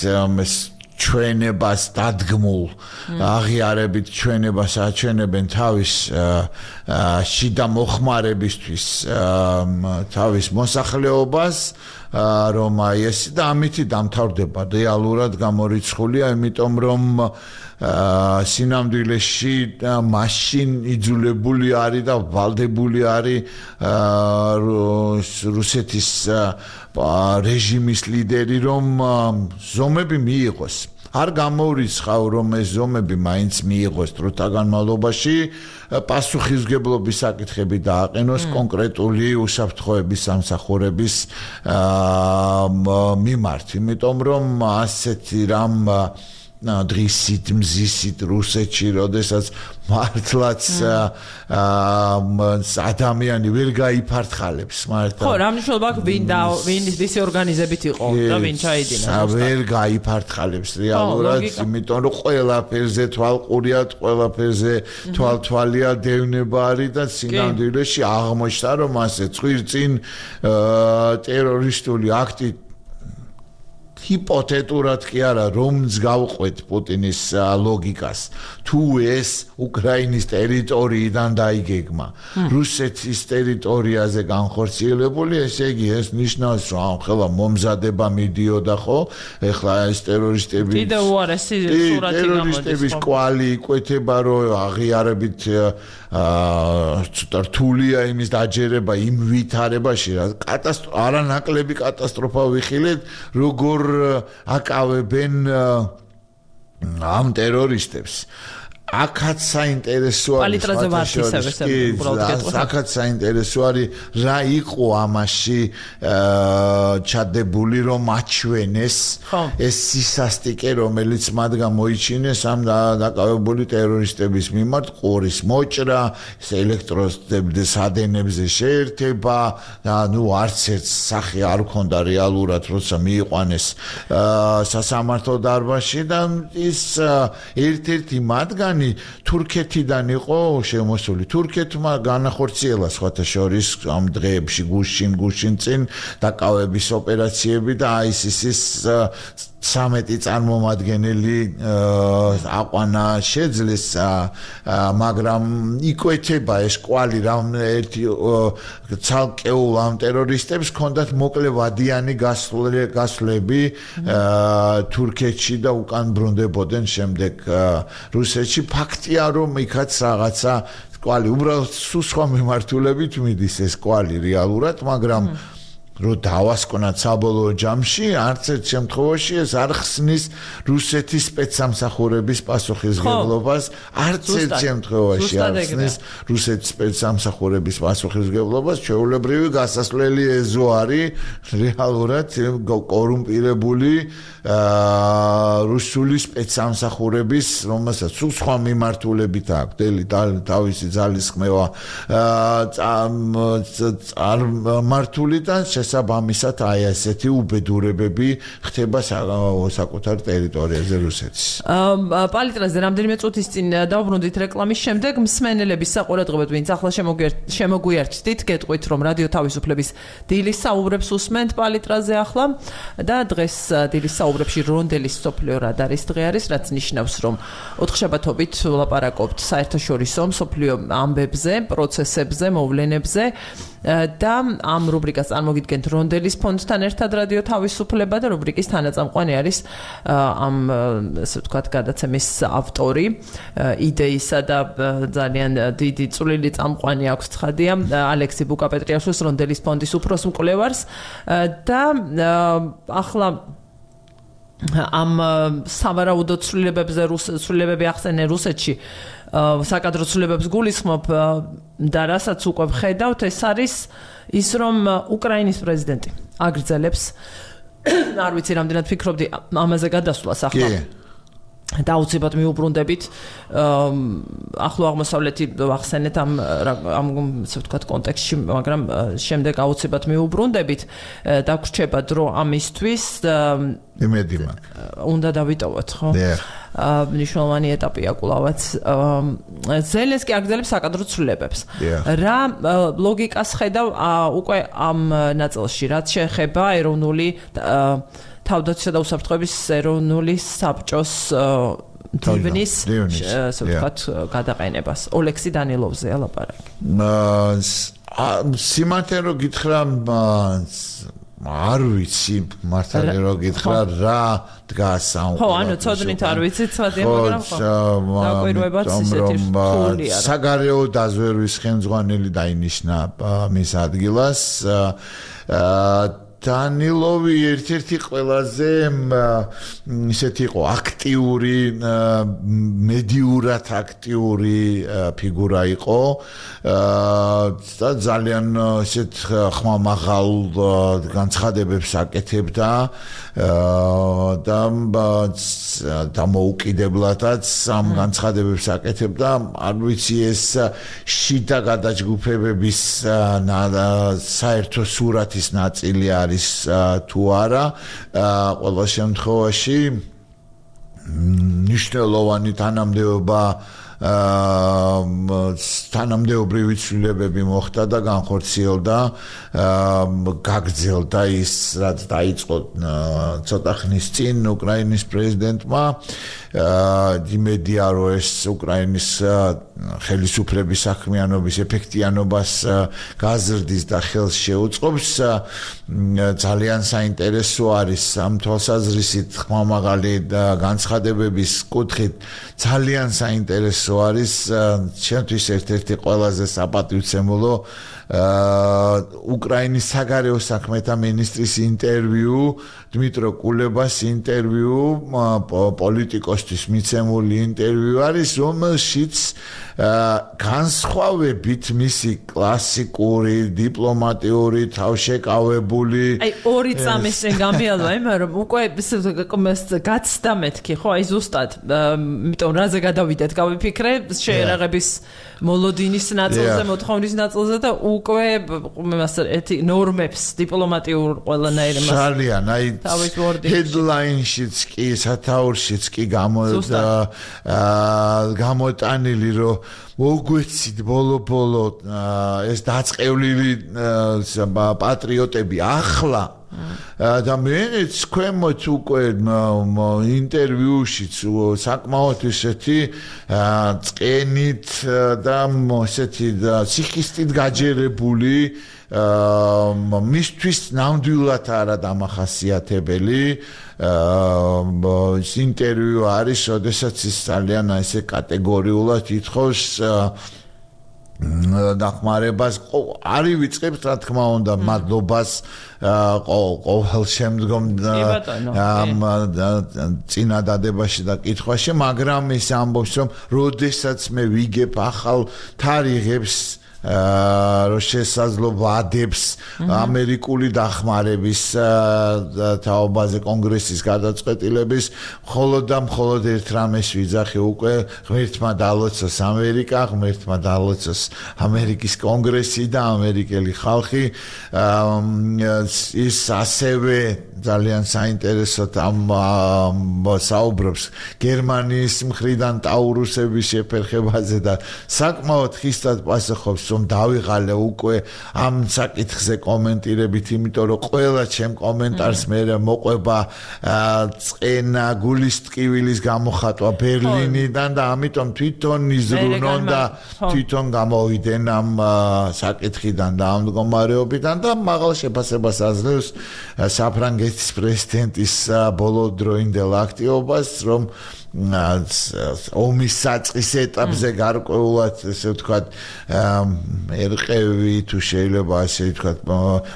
ჩვენებას დადგმულ აღიარებით ჩვენებას აჩვენებენ თავის შიდა მოხმარებისთვის თავის მოსახლეობას რომ აი ეს და ამითი დამთავრდება რეალურად გამორიცხულია იმიტომ რომ სინამდვილეში მაშინ იძულებული არის და ვალდებული არის რუსეთის რეჟიმის ლიდერი რომ ზომები მიიღოს არ გამოურიცხავ რომ ეს ზომები მაინც მიიღოს დროთა განმავლობაში პასუხისმგებლობის საკითხები დააყენოს კონკრეტული უსაფრთხოების სამსახურების მიმართ იმიტომ რომ ასეთი რამ დღისით მზისით რუსეთში როდესაც მართლაც ადამიანი ვერ გაიფართხალებს მართლა ხო რა მნიშვნელობა აქვს ვინ და ვინ ისი ორგანიზებით იყო და ვინ ჩაიდინა ვერ გაიფართხალებს რეალურად იმიტომ რომ ყველაფერზე თვალყურია ყველაფერზე თვალთვალია დევნება არის და სინამდვილეში აღმოჩნდა რომ ასე წვირწინ ტერორისტული აქტი ჰიპოთეტურად კი არა რომც გავყვეთ პუტინის ლოგიკას თუ ეს უკრაინის ტერიტორიიდან დაიგეგმა რუსეთის ტერიტორიაზე განხორციელებული ესე იგი ეს ნიშნავს რომ ხელა მომზადება მიდიოდა ხო ეხლა ეს ტერორისტები კიდევ უარესი სურათი გამოდის ტერორისტების კვალი იკვეთება რომ აღიარებით რთულია იმის დაჯერება იმ ვითარებაში რა კატასტროფა არანაკლები კატასტროფა ვიხილეთ როგორ აკავებენ ამ ტერორისტებს აქაც საინტერესო არის აქაც საინტერესო არის რა იყო ამაში ჩადებული რომ აჩვენეს ეს სისასტიკე რომელიც მათ გამოიჩინეს ამ დაკავებული ტერორისტების მიმართ ყურის მოჭრა ელექტროსადენებზე სადენებზე შეერთება ნუ არც ერთ სახე არ ქონდა რეალურად როცა მიიყვანეს სასამართლო დარბაზში და ის ერთ-ერთი მათგანი თურქეთიდან იყო შემოსული თურქეთმა განახორციელა სხვათა შორის ამ დღეებში გუშინ გუშინ წინ დაკავების ოპერაციები და აისისის სამეტი წარმომადგენელი აყვანა შეძლეს მაგრამ იკვეთება ეს კვალი რამ ერთი ცალკეულ ამ ტერორისტებს ჰქონდათ მოკლე ვადიანი გასვლები თურქეთში და უკან ბრუნდებოდნენ შემდეგ რუსეთში ფაქტია რომ იქაც რაღაცა კვალი უბრალოდ სხვა მიმართულებით მიდის ეს კვალი რეალურად მაგრამ რომ დავასკვნათ საბოლოო ჯამში არც ერთ შემთხვევაში ეს არ ხსნის რუსეთის სპეცსამსახურების პასუხისმგებლობას არც ერთ შემთხვევაში არ ხსნის რუსეთის სპეცსამსახურების პასუხისმგებლობას ჩვეულებრივი გასასვლელი ეზო არის რეალურად კორუმპირებული რუსული სპეცსამსახურების რომელსაც სხვა მიმართულებით აქვს თავისი ძალისხმევა მართულიდან შესაბამისად აი ესეთი უბედურებები ხდება საკუთარ ტერიტორიაზე რუსეთის. პალიტრაზე რამდენიმე წუთის წინ დავბრუნდით რეკლამის შემდეგ მსმენელების საყურადღებოდ ვინც ახლა შემოგვიერთდით გეტყვით რომ რადიო თავისუფლების დილის საუბრებს უსმენთ პალიტრაზე ახლა და დღეს დილის საუბრებში რონდელის სოფლიო რადარის დღე არის რაც ნიშნავს რომ ოთხშაბათობით ვლაპარაკობთ საერთაშორისო სოფლიო ამბებზე პროცესებზე მოვლენებზე და ამ რუბრიკას წარმოგიდგენთ რონდელის ფონდთან ერთად რადიო თავისუფლება და რუბრიკის თანაწამყვანი არის ამ ასე ვთქვათ გადაცემის ავტორი იდეისა და ძალიან დიდი წვლილი წამყვანი აქვს ცხადია ალექსი ბუკაპეტრიაშვილს რონდელის ფონდის უფროს მკვლევარს და ახლა ამ სავარაუდო ცვლილებებზე ცვლილებები ახსენე რუსეთში საკადრო ცვლილებებს გულისხმობ და რასაც უკვე ვხედავთ ეს არის ის რომ უკრაინის პრეზიდენტი აგრძელებს არ ვიცი რამდენად ფიქრობდი ამაზე გადასვლას ახლა და უცებად მიუბრუნდებით ახლო აღმოსავლეთი ახსენეთ ამ ამ ასე ვთქვათ კონტექსტში მაგრამ შემდეგ აუცებად მიუბრუნდებით და გრჩება დრო ამისთვის იმედი მაქვს უნდა დავიტოვოთ ხო მნიშვნელოვანი ეტაპია კვლავაც ზელენსკი აგრძელებს საკადრო ცვლილებებს რა ლოგიკას ხედავ უკვე ამ ნაწილში რაც შეეხება ეროვნული თავდაცვისა და უსაფრთხოების ეროვნული საბჭოს დივნის ასე ვთქვათ გადაყენებას ოლექსი დანილოვზე ლაპარაკი სიმართლე რომ გითხრა არ ვიცი მართალი რომ გითხრა რა დგას ამ ხო ანუ ცოდნით არ ვიცი ცოდნით მაგრამ ხო დაკვირვებაც ისეთი რთულია საგარეო დაზვერვის ხელმძღვანელი დაინიშნა მის ადგილას დანილოვი ერთ-ერთი ყველაზე ისეთი იყო აქტიური მედიურად აქტიური ფიგურა იყო და ძალიან ისეთ ხმამაღალ განცხადებებს აკეთებდა და დამოუკიდებლადაც ამ განცხადებებს აკეთებდა არ ვიცი ეს შიდა გადაჯგუფებების საერთო სურათის ნაწილი არის თუ არა ყოველ შემთხვევაში მნიშვნელოვანი თანამდებობა თანამდებობრივი ცვლილებები მოხდა და განხორციელდა გაგრძელდა ის რაც დაიწყო ცოტა ხნის წინ უკრაინის პრეზიდენტმა იმედია რომ ეს უკრაინის ხელისუფლების საქმიანობის ეფექტიანობას გაზრდის და ხელს შეუწყობს ძალიან საინტერესო არის ამ თვალსაზრისით ხმამაღალი განცხადებების კუთხით ძალიან საინტერესო არის ჩემთვის ერთ-ერთი ყველაზე საპატივცემულო უკრაინის საგარეო საქმეთა მინისტრის ინტერვიუ დმიტრო კულებას ინტერვიუ პოლიტიკოსთვის მიცემული ინტერვიუ არის რომელშიც განსხვავებით მისი კლასიკური დიპლომატიური თავშეკავებული აი ორი წამის წინ გამიალვა იმერომ უკვე გაცდა მეთქი ხო აი ზუსტად იმიტომ რაზე გადავიდეთ გავიფიქრე შეერაღების მოლოდინის ნაწილზე მოთხოვნის ნაწილზე და უკვე ერთი ნორმებს დიპლომატიურ ყველანაირ მას ძალიან აი headline-შიც კი სათაურშიც კი გამოტანილი რომ მოგვეცით ბოლო-ბოლო ეს დაწყევლილი პატრიოტები ახლა და მეც ქვემოთ უკვე ინტერვიუშიც საკმაოდ ისეთი წენით და ესეთი სიხისტით გაჯერებული მისთვის ნამდვილად არა დამახასიათებელი ინტერვიუ არის, როდესაც ის ძალიან ესე კატეგორიულად ითხოვს დახმარებას არ ივიწყებთ რა თქმა უნდა მადლობას ყოველ შემდგომ წინადადებაში და კითხვაში, მაგრამ ის ამბობს რომ როდესაც მე ვიგებ ახალ თარიღებს რო შესაძლო ვადებს ამერიკული დახმარების თაობაზე კონგრესის გადაწყვეტილების მხოლოდ და მხოლოდ ერთ რამეს ვიძახი უკვე ღმერთმა დალოცოს ამერიკა, ღმერთმა დალოცოს ამერიკის კონგრესი და ამერიკელი ხალხი ის ასევე ძალიან საინტერესოდ ამ საუბრობს გერმანიის მხრიდან ტაურუსების შეფერხებაზე და საკმაოდ ხისტად პასუხობს რომ დავიღალე უკვე ამ საკითხზე კომენტირებით, იმიტომ რომ ყველა ჩემ კომენტარს მე მოყვება წენა გულის ტკივილის გამოხატვა ბერლინიდან და ამიტომ თვითონ იზრუნონ და თვითონ გამოვიდნენ ამ საკითხიდან და ამ მდგომარეობიდან და მაღალ შეფასებას აძლევს საფრანგეთის პრეზიდენტის ბოლოდროინდელ აქტივობას, რომ ომის საწყის ეტაპზე გარკვეულად, ესე ვთქვათ, ერყევი თუ შეიძლება ასე ვთქვათ,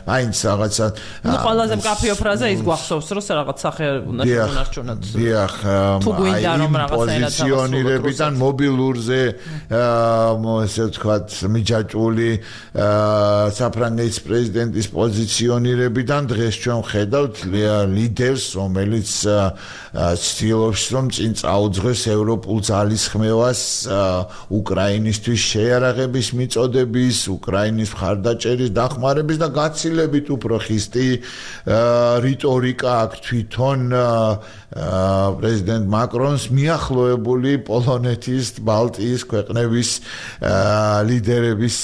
მაინც რაღაცა ну ყველაზე მკაფიო ფრაზა ის გვახსოვს რომ რაღაც სახე უნდა შევუნარჩუნოთ დიახ თუ გვინდა რომ რაღაცაერად პოზიციონირებიდან მობილურზე ასე ვთქვათ მიჯაჭვული საფრანგეთის პრეზიდენტის პოზიციონირებიდან დღეს ჩვენ ხედავთ ლიდერს რომელიც ცდილობს რომ წინ წაუძღოს ევროპულ ძალისხმევას უკრაინისთვის შეიარაღების მიწოდების, უკრაინის მხარდაჭერის დახმარების და გაცილებით უფრო ხისტი რიტორიკა აქვს თვითონ პრეზიდენტ მაკრონს მიახლოებული პოლონეთის, ბალტიის ქვეყნების ლიდერების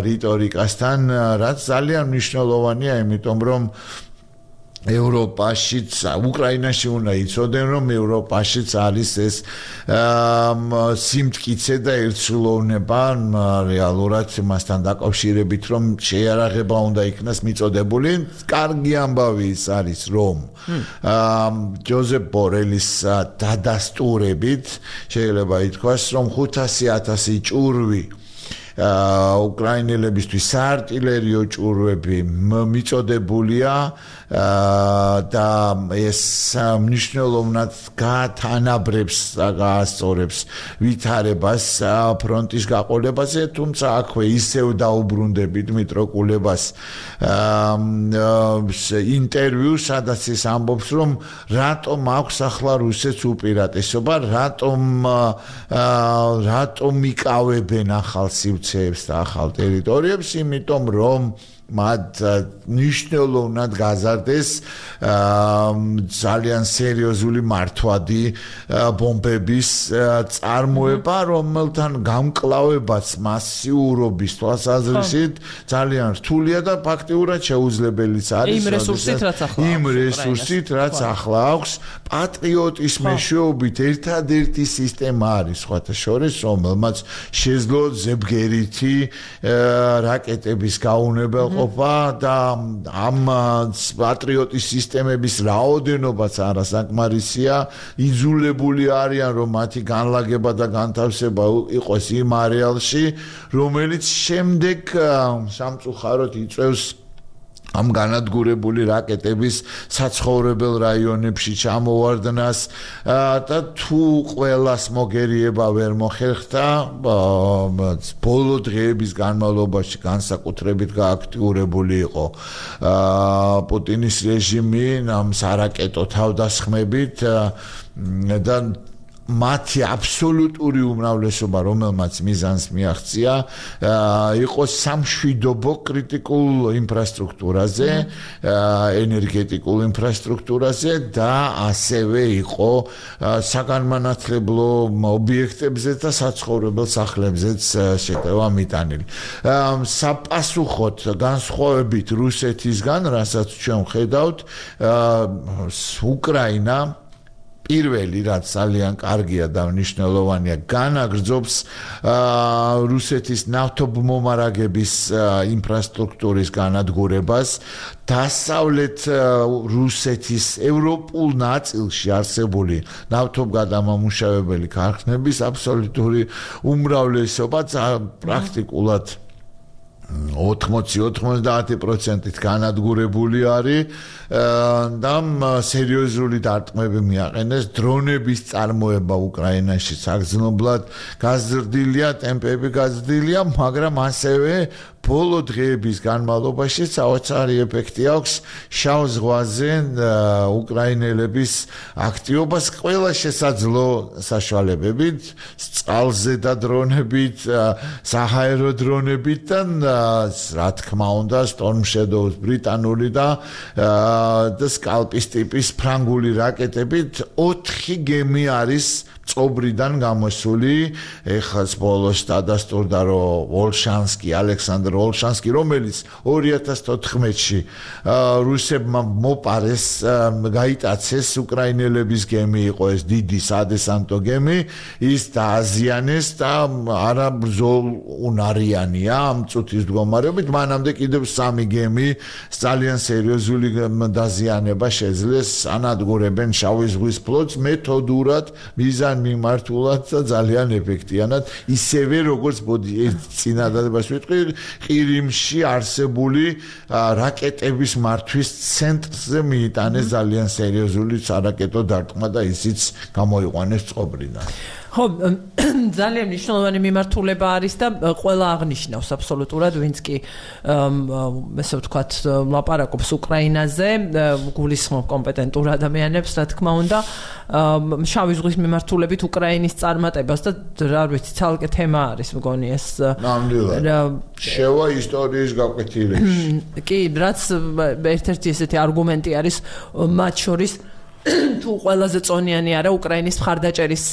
რიტორიკასთან, რაც ძალიან მნიშვნელოვანია, იმიტომ რომ ევროპაშიც, უკრაინაში უნდა იცოდნენ, რომ ევროპაშიც არის ეს სიმტკიცე და ერთსულოვნება რეალურად მასთან დაკავშირებით, რომ შეიარაღება უნდა იქნას მიწოდებული. კარგი ამბავი ის არის, რომ ჯოზეფ ბორელის დადასტურებით შეიძლება ითქვას, რომ ხუთასი ათასი ჭურვი უკრაინელებისთვის საარტილერიო ჭურვები მიწოდებულია და ეს მნიშვნელოვნად გაათანაბრებს და გაასწორებს ვითარებას ფრონტის გაყოლებაზე, თუმცა აქვე ისევ დაუბრუნდებით მიტროკულებას ინტერვიუ, სადაც ის ამბობს, რომ რატომ აქვს ახლა რუსეთს უპირატესობა, რატომ რატომ იკავებენ ახალ სივრცეებს და ახალ ტერიტორიებს, იმიტომ რომ მათ ნიშნულოვნად გაზარდეს ძალიან სერიოზული მართვადი ბომბების წარმოება, რომელთან გამკლავებაც მასიურობის თვალსაზრისით ძალიან რთულია და ფაქტიურად შეუძლებელიც არის იმ რესურსით, რაც ახლა იმ რესურსით, რაც ახლა აქვს. პატრიოტის მეშვეობით ერთადერთი სისტემა არის სხვათა შორის, რომელმაც შეძლო ზებგერითი რაკეტების გაუნება და ამ პატრიოტის სისტემების რაოდენობაც არასაკმარისია, იძულებული არიან რომ მათი განლაგება და განთავსება იყოს იმ არეალში, რომელიც შემდეგ სამწუხაროდ იწევს ამ განადგურებული რაკეტების საცხოვრებელ რაიონებში ჩამოვარდნას და თუ ყველას მოგერიება ვერ მოხერხდა, ბოლო დღეების განმავლობაში განსაკუთრებით გააქტიურებული იყო პუტინის რეჟიმი ამ სარაკეტო თავდასხმებით და მათი აბსოლუტური უმრავლესობა, რომელმაც მიზანს მიაღწია, იყო სამშვიდობო კრიტიკულ ინფრასტრუქტურაზე, ენერგეტიკულ ინფრასტრუქტურაზე და ასევე იყო საგანმანათლებლო ობიექტებზე და საცხოვრებელ სახლებზეც შეტევა მიტანილი. საპასუხოდ განსხვავებით რუსეთისგან, რასაც ჩვენ ხედავთ, უკრაინა პირველი რაც ძალიან კარგია და მნიშვნელოვანია, განაგრძობს რუსეთის ნავთობმომარაგების ინფრასტრუქტურის განადგურებას, დასავლეთ რუსეთის ევროპულ ნაწილში არსებული ნავთობგადამამუშავებელი ქარხნების აბსოლუტური უმრავლესობა პრაქტიკულად ოთხმოცი ოცდაათი პროცენტით განადგურებული არის და სერიოზული დარტყმები მიაყენეს. დრონების წარმოება უკრაინაში საგრძნობლად გაზრდილია, ტემპები გაზრდილია, მაგრამ ასევე ბოლო დღეების განმავლობაში საოცარი ეფექტი აქვს შავ ზღვაზე უკრაინელების აქტივობას ყველა შესაძლო საშუალებებით, წყალზე და დრონებით, საჰაერო დრონებით და რა თქმა უნდა Storm Shadows ბრიტანული და და სკალპის ტიპის ფრანგული რაკეტებით ოთხი გემი არის წობრიდან გამოსული. ეხლა ბოლოს დადასტურდა რომ ვოლშანსკი, ალექსანდრ ვოლშანსკი, რომელიც ორი ათას თოთხმეტში რუსებმა მოპარეს, გაიტაცეს უკრაინელების გემი იყო ეს დიდი სადესანტო გემი, ის დააზიანეს და არაბრძოლუნარიანია ამ წუთის მდგომარეობით. მანამდე კიდევ სამი გემი ძალიან სერიოზული დაზიანება შეძლეს, ანადგურებენ შავი ზღვის ფლოტს მეთოდურად. მიზანი მიმართულად და ძალიან ეფექტიანად, ისევე როგორც წინადადებას ვიტყვი, ყირიმში არსებული რაკეტების მართვის ცენტრზე მიიტანეს ძალიან სერიოზული სარაკეტო დარტყმა და ისიც გამოიყვანეს წყობრიდან. ხო, ძალიან მნიშვნელოვანი მიმართულება არის და ყველა აღნიშნავს აბსოლუტურად, ვინც კი ესე ვთქვათ, ლაპარაკობს უკრაინაზე, გულისხმობ კომპეტენტურ ადამიანებს, რა თქმა უნდა, შავი ზღვის მიმართულებით უკრაინის წარმატებას და რა ვიცი, ცალკე თემა არის, მგონი ეს. ნამდვილად. შევა ისტორიის გაკვეთილებში. კი, რაც ერთ-ერთი ესეთი არგუმენტი არის მათ შორის თუ ყველაზე წონიანი არა უკრაინის მხარდაჭერის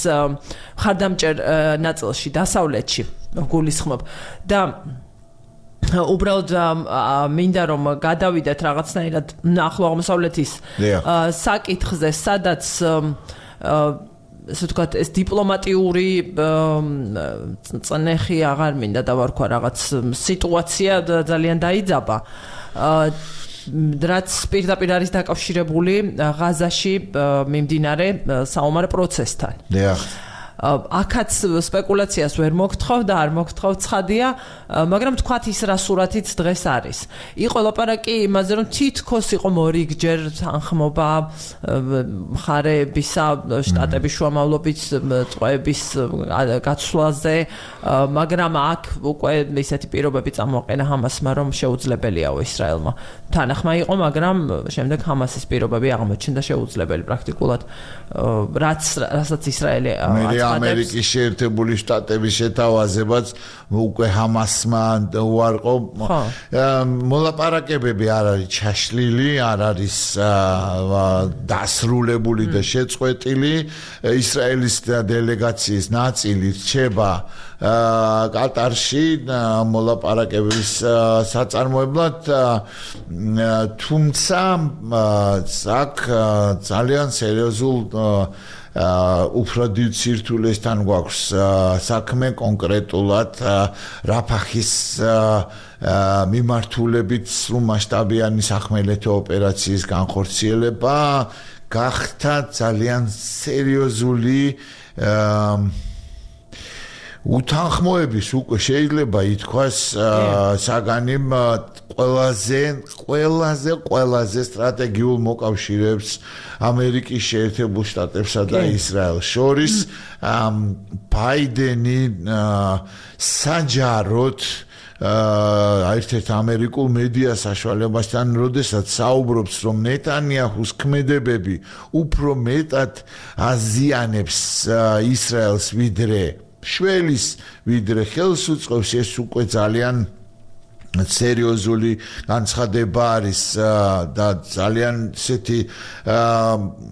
მხარდამჭერ ნაწილში, დასავლეთში გულისხმობ და უბრალოდ მინდა რომ გადავიდეთ რაღაცნაირად ახლო აღმოსავლეთის საკითხზე, სადაც ესე ვთქვათ, ეს დიპლომატიური წნეხი აღარ მინდა დავარქვა, რაღაც სიტუაცია ძალიან დაიძაბა. რაც პირდაპირ არის დაკავშირებული ღაზაში მიმდინარე საომარ პროცესთან. დიახ. აქაც სპეკულაციას ვერ მოგთხოვ და არ მოგთხოვ ცხადია, მაგრამ თქვათ ის რა სურათიც დღეს არის. იყო ლაპარაკი იმაზე, რომ თითქოს იყო მორიგჯერ თანხმობა მხარეებისა, შტატების შუამავლობით ტყვეების გაცვლაზე, მაგრამ აქ უკვე ისეთი პირობები წამოაყენა ჰამასმა, რომ შეუძლებელიაო ისრაელმა. თანახმა იყო, მაგრამ შემდეგ ჰამასის პირობები აღმოჩნდა შეუძლებელი პრაქტიკულად, რაც რასაც ისრაელი ამერიკის შეერთებული შტატების შეთავაზებაც უკვე ჰამასმა უარყო. მოლაპარაკებები არ არის ჩაშლილი, არ არის დასრულებული და შეწყვეტილი. ისრაელის დელეგაციის ნაწილი რჩება კატარში მოლაპარაკებების საწარმოებლად, თუმცა აქ ძალიან სერიოზულ უფრო დიდ სირთულესთან გვაქვს საქმე კონკრეტულად რაფახის მიმართულებით სრულმასშტაბიანი სახმელეთო ოპერაციის განხორციელება გახდა ძალიან სერიოზული უთანხმოების უკვე შეიძლება ითქვას საგანი ყველაზე ყველაზე ყველაზე სტრატეგიულ მოკავშირეებს ამერიკის შეერთებულ შტატებსა და ისრაელს შორის ბაიდენი საჯაროდ ერთ-ერთ ამერიკულ მედია საშუალებასთან როდესაც საუბრობს რომ ნეტანიაჰუს ქმედებები უფრო მეტად აზიანებს ისრაელს ვიდრე შველის ვიდრე ხელს უწყობს, ეს უკვე ძალიან სერიოზული განცხადება არის და ძალიან ისეთი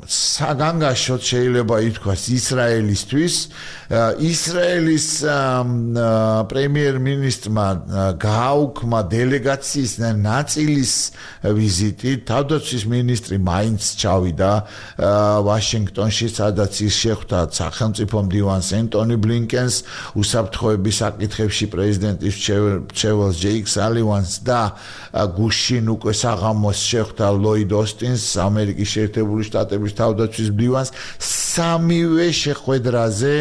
საგანგაშოდ შეიძლება ითქვას ისრაელისთვის. ისრაელის პრემიერ-მინისტრმა გააუქმა დელეგაციის ნაწილის ვიზიტი, თავდაცვის მინისტრი მაინც ჩავიდა ვაშინგტონში, სადაც ის შეხვდა სახელმწიფო მდივანს ენტონი ბლინკენს, უსაფრთხოების საკითხებში პრეზიდენტის მრჩეველს ჯეიკ სალივანს და გუშინ უკვე საღამოს შეხვდა ლოიდ ოსტინს, ამერიკის შეერთებული შტატების თავდაცვის მდივანს, სამივე შეხვედრაზე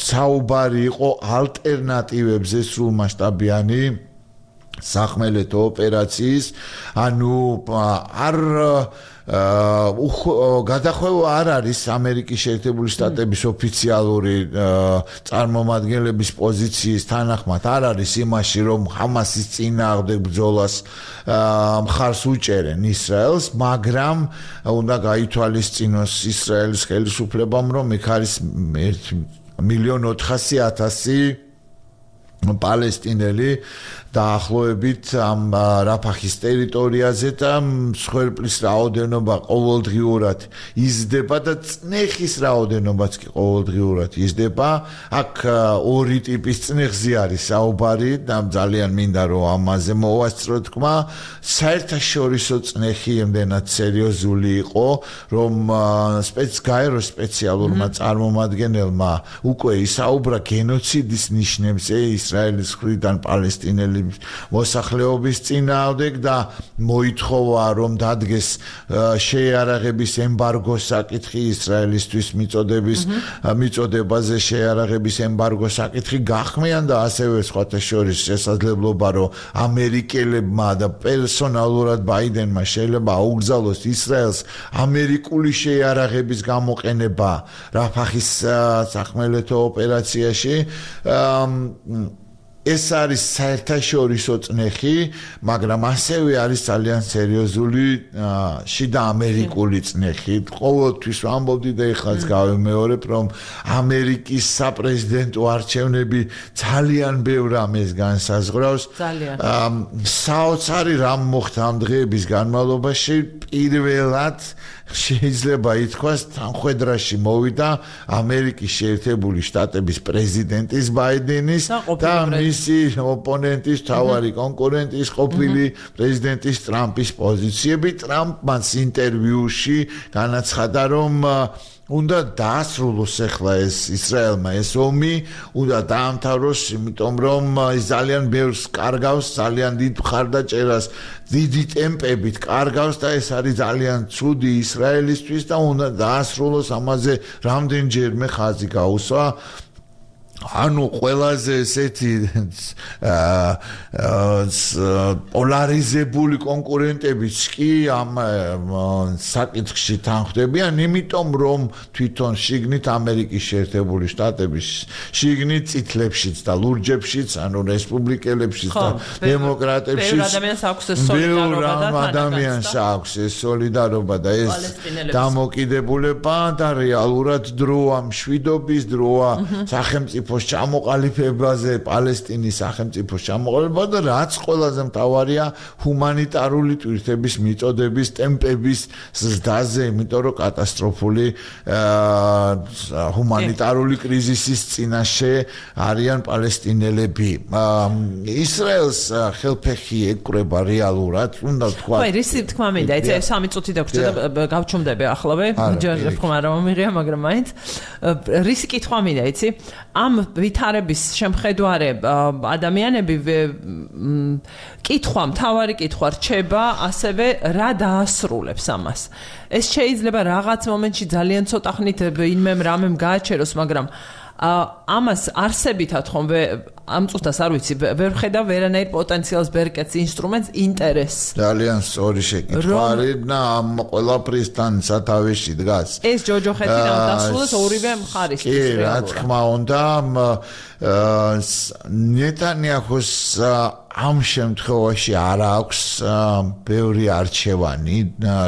საუბარი იყო ალტერნატივებზე სრულმასშტაბიანი სახმელეთო ოპერაციის, ანუ არ გადახვევა არ არის ამერიკის შეერთებული შტატების ოფიციალური წარმომადგენლების პოზიციის თანახმად არ არის იმაში, რომ ჰამასის წინააღმდეგ ბრძოლას მხარს უჭერენ ისრაელს, მაგრამ უნდა გაითვალისწინოს ისრაელის ხელისუფლებამ, რომ იქ არის ერთი მილიონი ოთხასი ათასი პალესტინელი დაახლოებით ამ რაფახის ტერიტორიაზე და მსხვერპლის რაოდენობა ყოველდღიურად იზრდება და წნეხის რაოდენობაც კი ყოველდღიურად იზრდება. აქ ორი ტიპის წნეხზე არის საუბარი და ძალიან მინდა რომ ამაზე მოვასწრო თქმა. საერთაშორისო წნეხი იმდენად სერიოზული იყო, რომ სპეცგაეროს სპეციალურმა წარმომადგენელმა უკვე ისაუბრა გენოციდის ნიშნებზე ისრაელის მხრიდან პალესტინელი მოსახლეობის წინააღმდეგ და მოითხოვა რომ დადგეს შეიარაღების ემბარგოს საკითხი ისრაელისთვის მიწოდების მიწოდებაზე შეიარაღების ემბარგოს საკითხი გახმიან და ასევე სხვათა შორის შესაძლებლობა რომ ამერიკელებმა და პერსონალურად ბაიდენმა შეიძლება აუგზავნოს ისრაელს ამერიკული შეიარაღების გამოყენება რაფახის სახმელეთო ოპერაციაში ეს არის საერთაშორისო წნეხი, მაგრამ ასევე არის ძალიან სერიოზული შიდა ამერიკული წნეხი. ყოველთვის ვამბობდი და ეხლაც გავიმეორებ, რომ ამერიკის საპრეზიდენტო არჩევნები ძალიან ბევრ ამას განსაზღვრავს. საოცარი რამ მოხდა ამ დღეების განმავლობაში პირველად შეიძლება ითქვას თანხwebdriverში მოვიდა ამერიკის შეერთებული შტატების პრეზიდენტის ბაიდენის და მისი ოპონენტის თავარი კონკურენტის ყოფილი პრეზიდენტის ტრამპის პოზიციები. ტრამპმა ინტერვიუში განაცხადა რომ უნდა დაასრულოს ახლა ეს ისრაელმა ეს ომი, უნდა დაამთავროს, იმიტომ რომ ის ძალიან ბევრს კარგავს, ძალიან დიდ მხარდაჭერას, დიდი ტემპებით კარგავს და ეს არის ძალიან ცუდი ისრაელისთვის და უნდა დაასრულოს, ამაზე რამდენჯერმე ხაზი გაუსვა. ანუ ყველაზე ესეთი პოლარიზებული კონკურენტებიც კი ამ საკითხში თანხმდებიან, იმიტომ რომ თვითონ შიგნით ამერიკის შეერთებული შტატების შიგნით წითლებშიც და ლურჯებშიც, ანუ რესპუბლიკელებშიც და დემოკრატებშიც ბევრ ადამიანს აქვს ეს სოლიდარობა და ეს დამოკიდებულება და რეალურად დროა მშვიდობის, დროა სახელმწიფო ჩამოყალიფებაზე, პალესტინის სახელმწიფოს ჩამოყალიფება და რაც ყველაზე მთავარია ჰუმანიტარული ტვირთების მიწოდების ტემპების ზრდაზე, იმიტომ რომ კატასტროფული ჰუმანიტარული კრიზისის წინაშე არიან პალესტინელები. ისრაელს ხელფეხი ეკვრება რეალურად, უნდა თქვა. ხო, რისი თქმა მინდა, ეს სამი წუთი დაგვრჩა და გავჩუმდები ახლა, ჯერ ხომ არ მომიღია, მაგრამ მაინც რისი კითხვა მინდა, იცი? ამ ვითარების შემხედვარე ადამიანები კითხვა, მთავარი კითხვა რჩება ასევე რა დაასრულებს ამას. ეს შეიძლება რაღაც მომენტში ძალიან ცოტა ხნით ინმემ რამემ გააჩეროს, მაგრამ ამას არსებითად ხომ ამ წუთას არ ვიცი, ვერ ხედავ ვერანაირ პოტენციალს, ბერკეტს, ინსტრუმენტს, ინტერესს. ძალიან სწორი შეკითხვა არის და ამ ყველაფრისთან სათავეში დგას. ეს ჯოჯოხეთიდან დასრულდეს ორივე მხარის. კი, რა თქმა უნდა, ნეტანიაჰუს ამ შემთხვევაში არ აქვს ბევრი არჩევანი,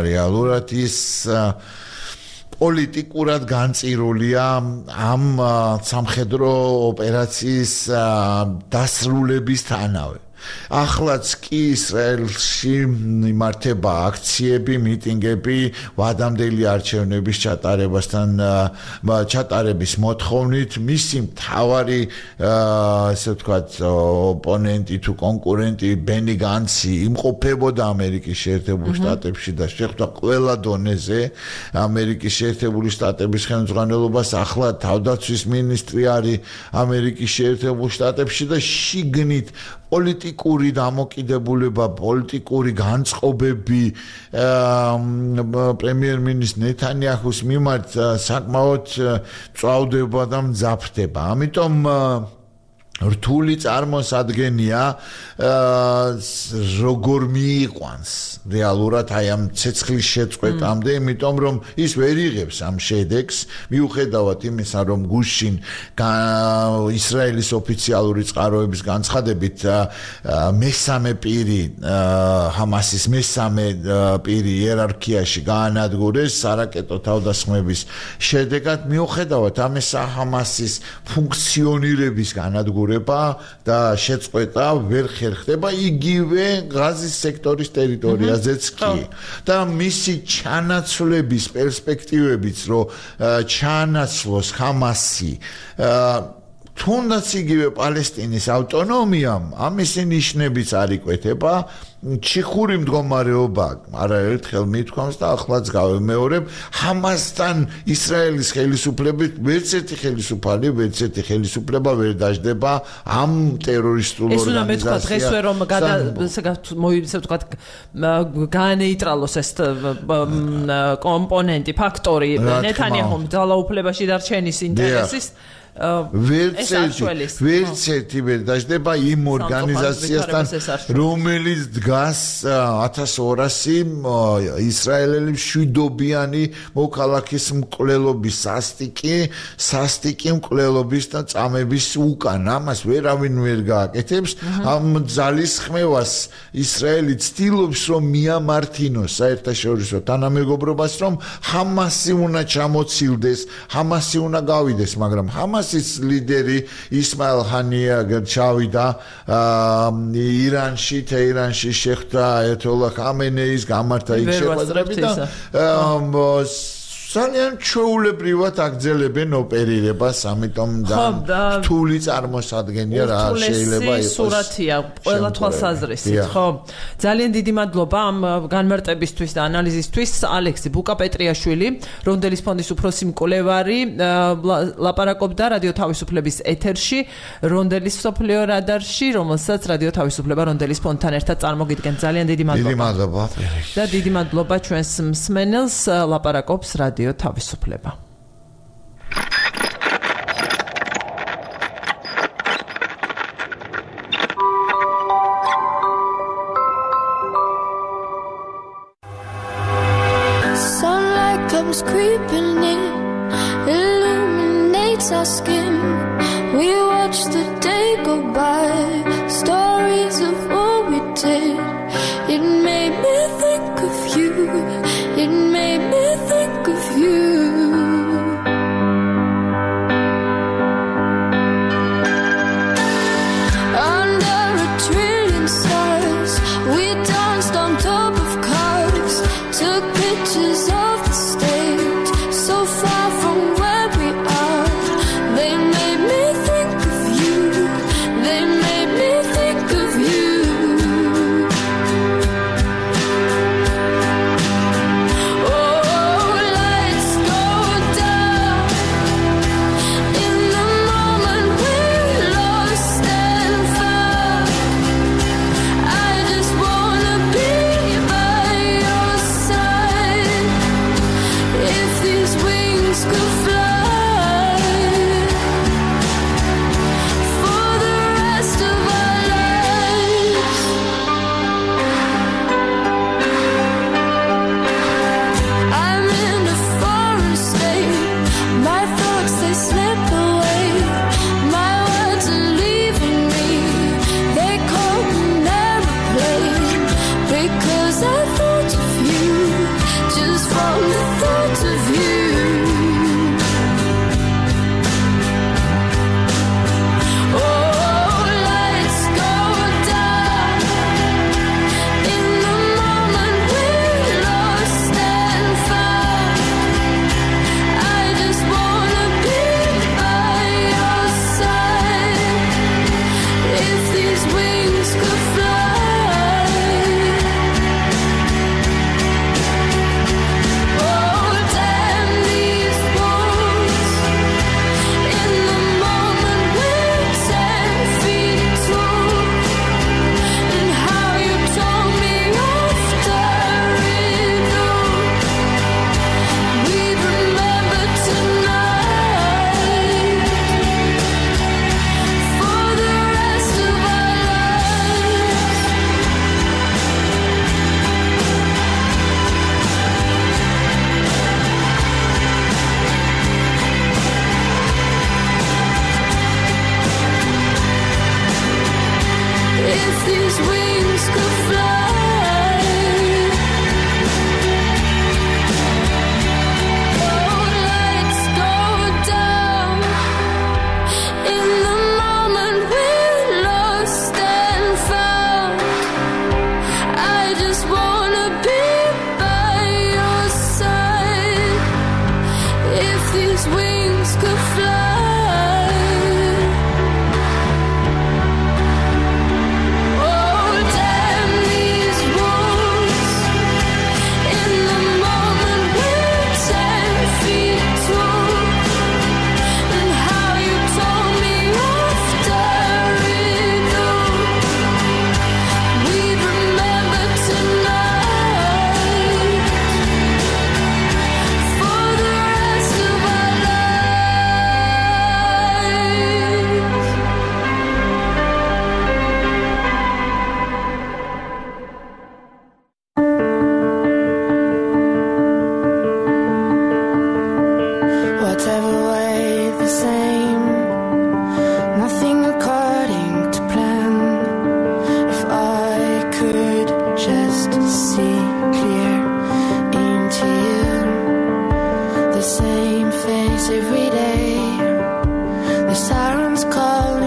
რეალურად ის პოლიტიკურად განწირულია ამ სამხედრო ოპერაციის დასრულებისთანავე. ახლაც კი ისრაელში იმართება აქციები, მიტინგები ვადამდელი არჩევნების ჩატარებასთან ჩატარების მოთხოვნით. მისი მთავარი ესე ვთქვათ ოპონენტი თუ კონკურენტი ბენი განცი იმყოფებოდა ამერიკის შეერთებული შტატებში და შეხვდა ყველა დონეზე ამერიკის შეერთებული შტატების ხელმძღვანელობას. ახლა თავდაცვის მინისტრი არის ამერიკის შეერთებულ შტატებში და შიგნით პოლიტიკური დამოკიდებულება, პოლიტიკური განწყობები პრემიერ-მინისტრ ნეთანიაჰუს მიმართ საკმაოდ წვავდება და მძაფრდება. ამიტომ რთული წარმოსადგენია როგორ მიიყვანს რეალურად აი ამ ცეცხლის შეწყვეტამდე, იმიტომ რომ ის ვერ იღებს ამ შედეგს, მიუხედავად იმისა, რომ გუშინ ისრაელის ოფიციალური წყაროების განცხადებით მესამე პირი ჰამასის მესამე პირი იერარქიაში გაანადგურეს სარაკეტო თავდასხმების შედეგად, მიუხედავად ამისა ჰამასის ფუნქციონირების განადგურება და შეწყვეტა ვერ ხერხდება იგივე ღაზის სექტორის ტერიტორიაზეც კი. და მისი ჩანაცვლების პერსპექტივებიც, რომ ჩანაცვლოს ჰამასი თუნდაც იგივე პალესტინის ავტონომიამ, ამისი ნიშნებიც არ იკვეთება. ჩიხური მდგომარეობა არაერთხელ მithქვამს და ახლაც გავემეორებ ჰამასთან ისრაელის ხელისუფლებით ვერც ერთი ხელისუფალი ვერც ერთი ხელისუფლება ვერ დაждდება ამ ტერორისტულ ორგანიზაციას ეს უნდა მეთქვა დღეს რომ ისე ვთქვათ გაანეიტრალოს ეს კომპონენტი ფაქტორი ნეთანიაჰუმ ძალაუფლებაში დარჩენის ინტერესის ვერც ერთი ვერ დაждდება იმ ორგანიზაციასთან რომელიც დგას ათას ორასი ისრაელელი მშვიდობიანი მოქალაქის მკვლელობის სასტიკი სასტიკი მკვლელობის და წამების უკან ამას ვერავინ ვერ გააკეთებს ამ ძალის ხმევას ისრაელი ცდილობს რომ მიამართინოს საერთაშორისო თანამეგობრობას რომ ჰამასი უნდა ჩამოცილდეს ჰამასი უნდა გავიდეს მაგრამ ჰამასის ლიდერი ისმაილ ჰანია ჩავიდა ირანში თეირანში შეხვდა აიათოლა ხამენეის გამართა იქ შეხვედრები და ძალიან ჩვეულებრივად აგრძელებენ ოპერირებას, ამიტომ რთული წარმოსადგენია რა შეიძლება იყოს. სურათია ყველა თვალსაზრისით, ხო? ძალიან დიდი მადლობა ამ განმარტებისთვის და ანალიზისთვის. ალექსი ბუკა-პეტრიაშვილი, რონდელის ფონდის უფროსი მკვლევარი, ლაპარაკობდა რადიო თავისუფლების ეთერში, რონდელის სოფლიო რადარში, რომელსაც რადიო თავისუფლება რონდელის ფონდთან ერთად წარმოგიდგენთ. ძალიან დიდი მადლობა. დიდი მადლობა. და დიდი მადლობა ჩვენს მსმენელს, ლაპარაკობს რადიო თავისუფლება. Sunlight comes creeping in, illuminates our skin. We watch the day go by, stories of what we did. It made me think of you. It made me think of you. Under a trillion stars, we danced on top of cars, took pictures of the stage, so far from where we are. They made me think of you. They made me the same face every day. The sirens call